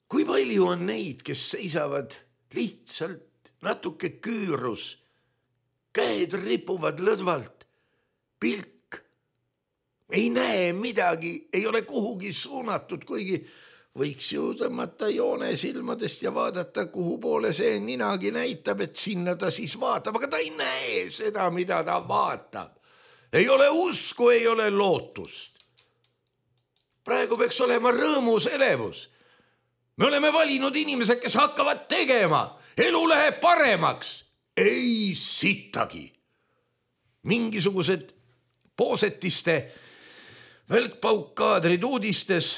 Kui palju on neid, kes seisavad lihtsalt natuke küürus, käed ripuvad lõdvalt, pilk, ei näe midagi, ei ole kuhugi suunatud, kuigi võiks ju tõmmata joone silmadest ja vaadata, kuhu poole see ninagi näitab, et sinna ta siis vaatab, aga ta ei näe seda, mida ta vaatab. Ei ole usku, ei ole lootust. Praegu peaks olema rõõmus elevus. Me oleme valinud inimesed, kes hakkavad tegema. Elu läheb paremaks. Ei sittagi. Mingisugused poosetiste välkpaukkaadrid uudistes,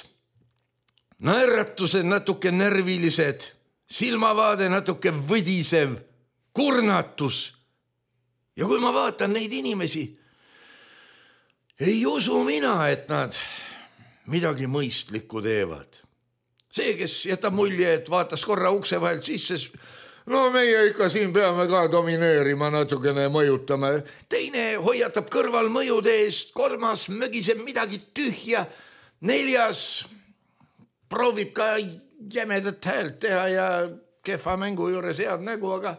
naeratused natuke närvilised, silmavaade natuke võdisev, kurnatus. Ja kui ma vaatan neid inimesi, ei usu mina, et nad midagi mõistlikku teevad. See, kes jätab mulje, et vaatas korra ukse vahelt sisse, no meie ikka siin peame ka domineerima, natukene mõjutama. Teine hoiatab kõrval mõjude eest, kolmas mögiseb midagi tühja, neljas proovib ka jämedat häält teha ja kehva mängu juures head nägu, aga,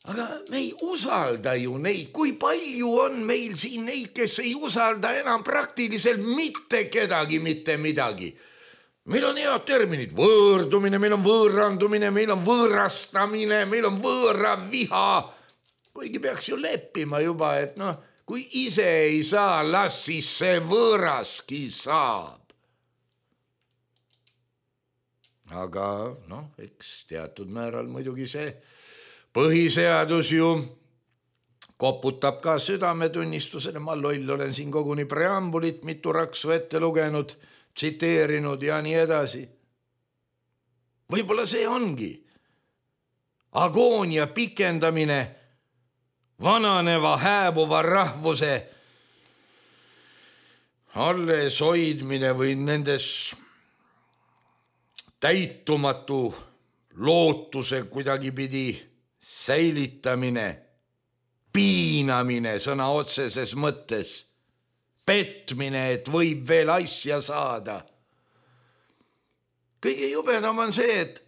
aga me ei usalda ju neid. Kui palju on meil siin neid, kes ei usalda enam praktiliselt mitte kedagi, mitte midagi. Meil on head terminid, võõrdumine, meil on võõrandumine, meil on võõrastamine, meil on võõra viha. Kuigi peaks ju leppima juba, et noh, kui ise ei saa, las siis see võõraski saab. Aga noh, eks teatud määral muidugi see põhiseadus ju koputab ka südametunnistusele. Ma loll olen siin koguni preambulit mitu raksu ette lugenud, tsiteerinud ja nii edasi. Võib-olla see ongi agoonia pikendamine vananeva hääbuva rahvuse alles hoidmine või nendes täitumatu lootuse kuidagi pidi säilitamine, piinamine sõna otseses mõttes, petmine, et võib veel asja saada. Kõige jubedam on see, et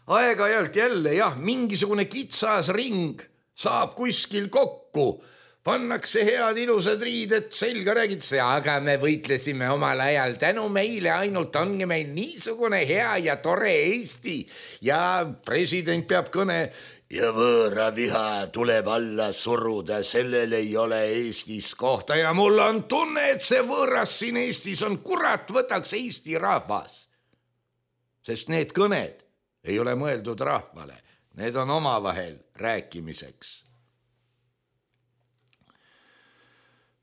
aeg-ajalt jälle, jah, mingisugune kitsas ring saab kuskil kokku, pannakse head ilusad riided selga, räägitakse, aga me võitlesime omal ajal, tänu meile ainult ongi meil niisugune hea ja tore Eesti ja president peab kõne ja võõra viha tuleb alla suruda, sellel ei ole Eestis kohta ja mul on tunne, et see võõras siin Eestis on, kurat, võtaks Eesti rahvas. Sest need kõned ei ole mõeldud rahvale, need on omavahel rääkimiseks.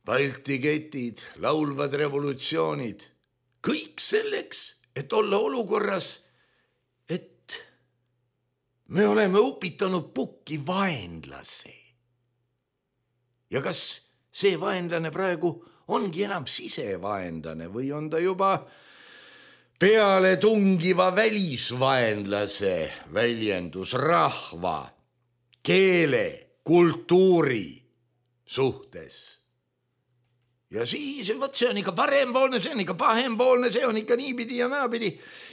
Balti ketid, laulvad revolutsioonid, kõik selleks, et olla olukorras, et me oleme upitanud pukki vaenlase. Ja kas see vaenlane praegu ongi enam sisevaenlane või on ta juba peale tungiva välisvaenlase väljendus rahva, keele, kultuuri suhtes? Ja siis, võt, see on ikka parempoolne, see on ikka pahempoolne, see on ikka niipidi ja naapidi.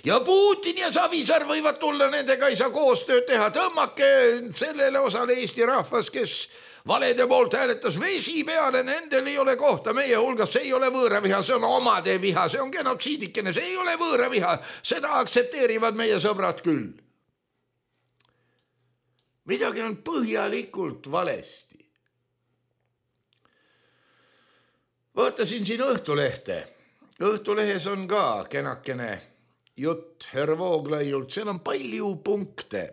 Ja Putin ja Savisaar võivad tulla, nendega ei saa koostööd teha. Tõmmake sellele osale Eesti rahvas, kes valede poolt hääletas vesi peale, nendel ei ole kohta meie hulgas, see ei ole võõraviha, see on omade viha, see on genotsiidikene, see ei ole võõraviha, seda aktsepteerivad meie sõbrad küll. Midagi on põhjalikult valesti. Vaatasin siin Õhtulehte. Õhtulehes on ka kenakene jutt Herr Vooglaiult, seal on palju punkte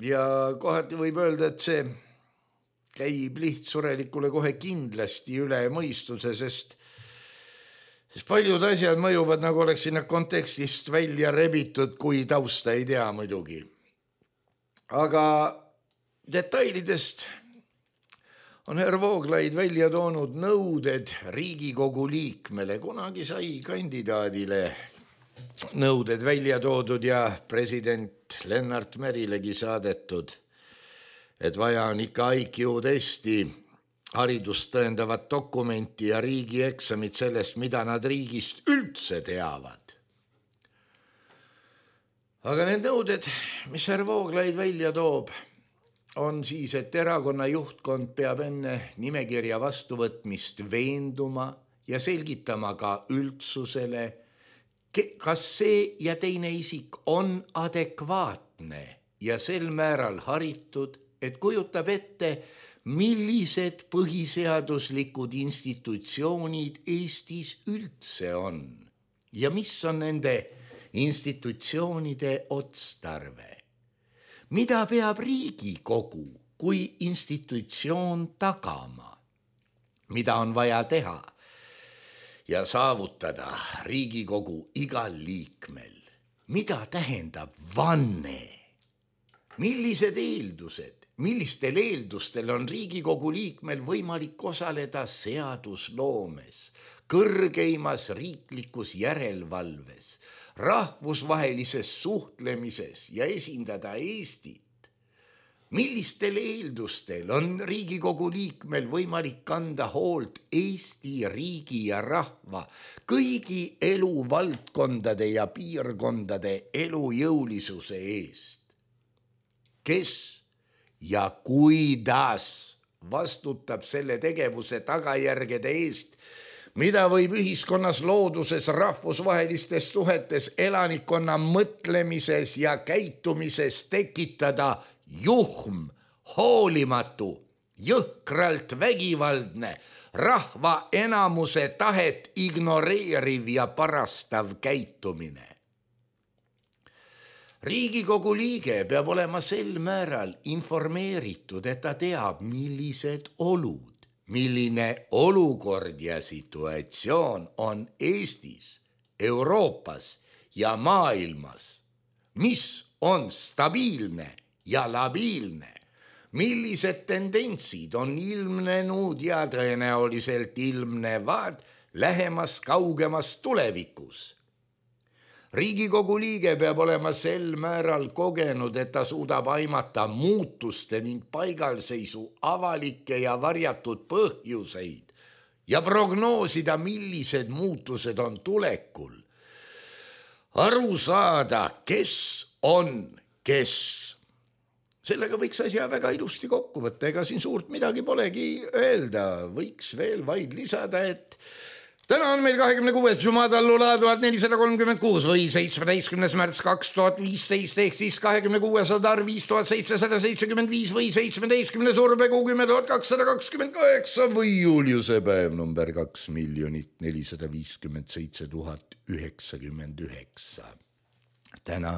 ja kohati võib öelda, et see käib lihtsurelikule kohe kindlasti üle mõistuse, sest, sest paljud asjad mõjuvad, nagu oleks sinna kontekstist välja rebitud, kui tausta ei tea muidugi. Aga detailidest on Herr Vooglaid välja toonud nõuded Riigikogu liikmele. Kunagi sai kandidaadile nõuded välja toodud ja president Lennart Merilegi saadetud, et vaja on ikka I Q testi, haridust tõendavat dokumenti ja riigieksamit sellest, mida nad riigist üldse teavad. Aga need nõuded, mis Herr Vooglaid välja toob, on siis, et erakonna juhtkond peab enne nimekirja vastuvõtmist veenduma ja selgitama ka üldsusele, kas see ja teine isik on adekvaatne ja sel määral haritud, et kujutab ette, millised põhiseaduslikud institutsioonid Eestis üldse on ja mis on nende institutsioonide otstarve. Mida peab Riigikogu kui institutsioon tagama? Mida on vaja teha ja saavutada Riigikogu igal liikmel? Mida tähendab vanne? Millised eeldused, millistel eeldustel on Riigikogu liikmel võimalik osaleda seadusloomes, kõrgeimas riiklikus järelevalves, rahvusvahelises suhtlemises ja esindada Eestit? Millistel eeldustel on Riigikogu liikmel võimalik kanda hoolt Eesti riigi ja rahva kõigi eluvaldkondade ja piirkondade elujõulisuse eest? Kes ja kuidas vastutab selle tegevuse tagajärgede eest, mida võib ühiskonnas, looduses, rahvusvahelistes suhetes, elanikkonna mõtlemises ja käitumises tekitada juhm, hoolimatu, jõhkralt vägivaldne, rahva enamuse tahet ignoreeriv ja parastav käitumine? Riigikogu liige peab olema sel määral informeeritud, et ta teab, millised olud, milline olukord ja situatsioon on Eestis, Euroopas ja maailmas, mis on stabiilne ja labiilne, millised tendentsid on ilmnenud ja tõenäoliselt ilmnevad lähemas kaugemas tulevikus. Riigikogu liige peab olema sel määral kogenud, et ta suudab aimata muutuste ning paigalseisu avalikke ja varjatud põhjuseid ja prognoosida, millised muutused on tulekul. Aru saada, kes on kes. Sellega võiks asja väga ilusti kokku võtta, ega siin suurt midagi polegi öelda. Võiks veel vaid lisada, et Täna on meil kahekümne kuues Jumadallula tuhat nelisada kolmkümmend kuus või seitsmeteistkümnes märts kaks tuhat viisteist ehk siis kahekümne kuues Adar viis tuhat seitsesada seitsekümmend viis või seitsmeteistkümnes Urbekuu kümme tuhat kakssada kakskümmend kaheksa või Juliuse päev number kaks miljonit nelisada viiskümmend seitse tuhat üheksakümmend üheksa. Täna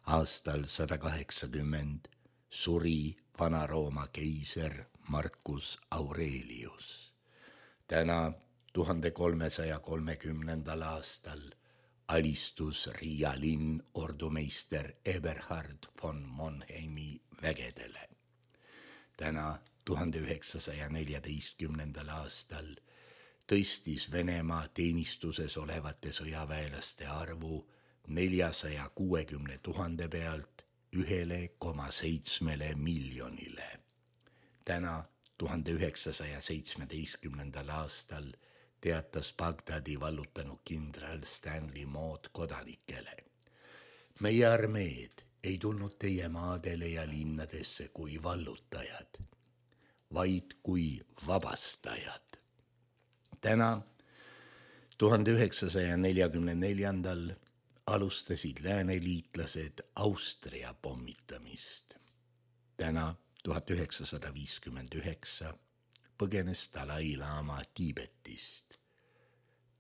aastal sada kaheksakümmend suri Vana-Rooma keiser Marcus Aurelius. Täna tuhande kolmesaja kolmekümnendal aastal alistus Riia linn ordumeister Eberhard von Monheimi vägedele. Täna tuhande üheksasaja neljateistkümnendal aastal tõstis Venemaa teenistuses olevate sõjaväelaste arvu neljasaja kuuekümne tuhande pealt ühele koma seitsmele miljonile. Täna tuhande üheksasaja seitsmeteistkümnendal aastal teatas Bagdadi vallutanud kindral Stanley Mood kodanikele. Meie armeed ei tulnud teie maadele ja linnadesse kui vallutajad, vaid kui vabastajad. Täna tuhande üheksasaja neljakümne neljandal alustasid lääneliitlased Austria pommitamist. Täna tuhat üheksasada viiskümmend üheksa põgenes Dalai Lama Tiibetist.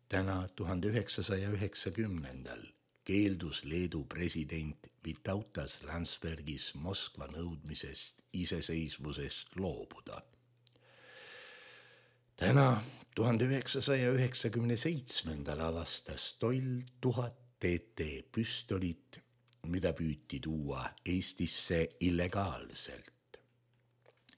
Täna tuhande üheksasaja üheksakümnendal keeldus Leedu president Vytautas Landsbergis Moskva nõudmisest iseseisvusest loobuda. Täna tuhande üheksasaja üheksakümne seitsmendal avastas Toll tuhat T T püstolit, mida püüti tuua Eestisse illegaalselt.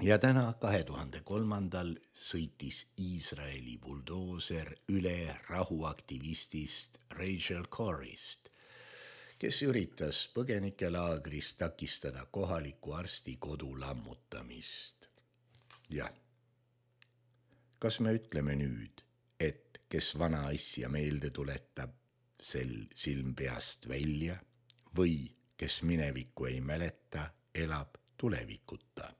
Ja täna kahe tuhande kolmandal sõitis Iisraeli buldooser üle rahuaktivistist Rachel Corrist, kes üritas põgenikelaagris takistada kohaliku arsti kodu lammutamist. Jah, kas me ütleme nüüd, et kes vana asja meelde tuletab, sel silm peast välja, või kes minevikku ei mäleta, elab tulevikuta?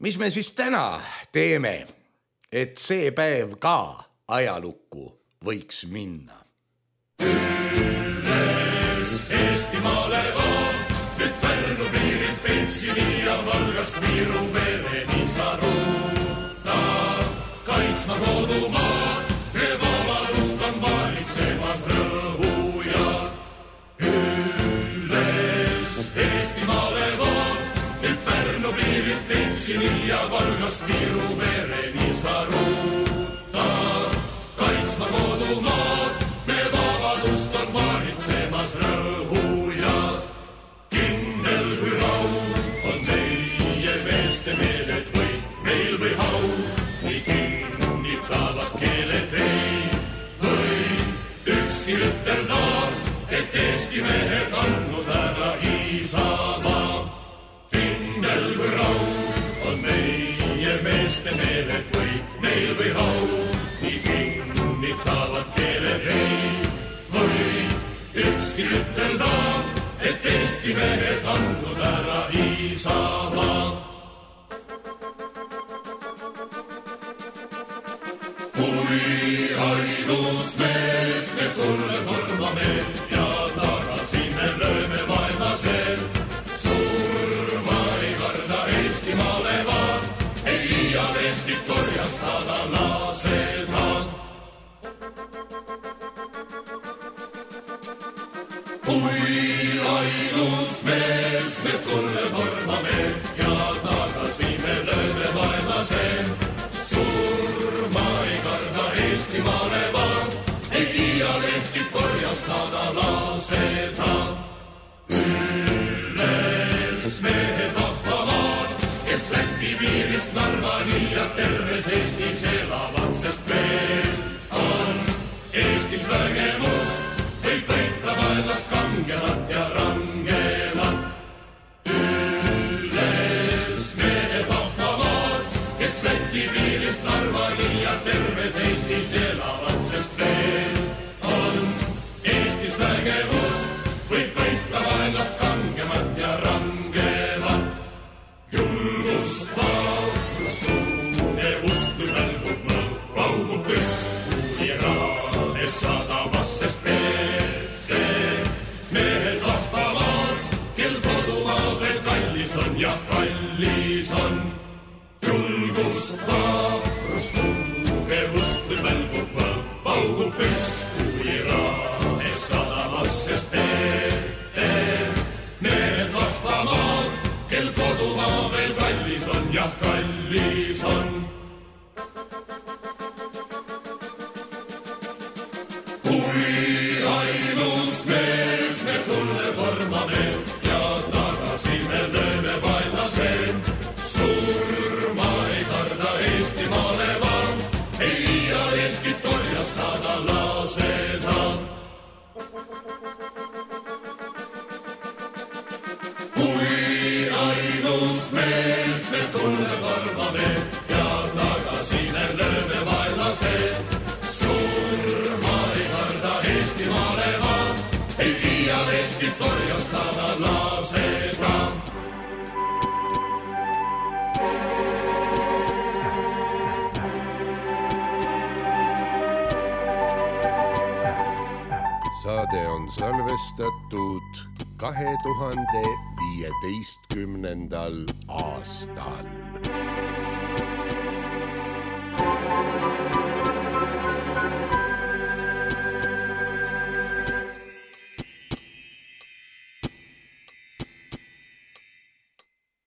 Mis me siis täna teeme, et see päev ka ajalukku võiks minna? Üles Eestimaale vaan, nüüd Pärnu piirilt Pentsini ja Valgast Viru vereni sa ruuta. Kaitsma kodumaad, me vabadust on valitsemas rõhujad. Üles Eestimaale vaan, nüüd Pärnu piirilt Pentsini ja Valgast Viru vereni sa ruuta. Kaitsma kodumaad, me vabadust on valitsemas rõhujad. Kindel kui raud on meie meeste meeled või meil või hau, nii kinnitavad keeled ei või ükski ütelda, et Eesti mehed andnud ära Isamaa. Kindel kui raud on meie meeste meeled või meil või hau, nii kinnitavad keeled ei või ükski ütelda, et Eesti mehed andnud ära Isamaa. Kui ainus mees me tulle tormame ja tagasi me lööme vaenlasel, surma ei karda Eestimaale vaan, ei iial Eestit korjastada laseda. Kui ainus mees me tulle tormame ja tagasi me lööme vaenlasel, surma ei karda Eestimaale vaan, ei iial Eestit korjastada laseda. Üles mehed vahvamaad, kes Läti piirist Narvani ja terves Eestis elavad, sest veel on Eestis vägevust, võib võita vaenlast kangemat ja rangemat. Üles mehed vahvamaad, kes Läti piirist Narvani ja terves Eestis elavad, sest veel on Eestis vägevust, võib võita vaenlast kangemat ja rangemat. Julgust, vaatus, suune ust, kui välgub mõõt, paugub püss. jah kallis on. Kui ainus mees me tulle tormame ja tagasi me lööme vaenlaseen. Surma ei karda Eestimaale vaan, ei liia Eestit torjastada laseda. Kui ainus mees me tulle tormame ja tagasi me lööme vaenlaseen. Surma ei karda Eestimaale vaan, ei liia Eestit torjastada laseda. Saade on salvestatud kahe tuhande viieteistkümnendal aastal.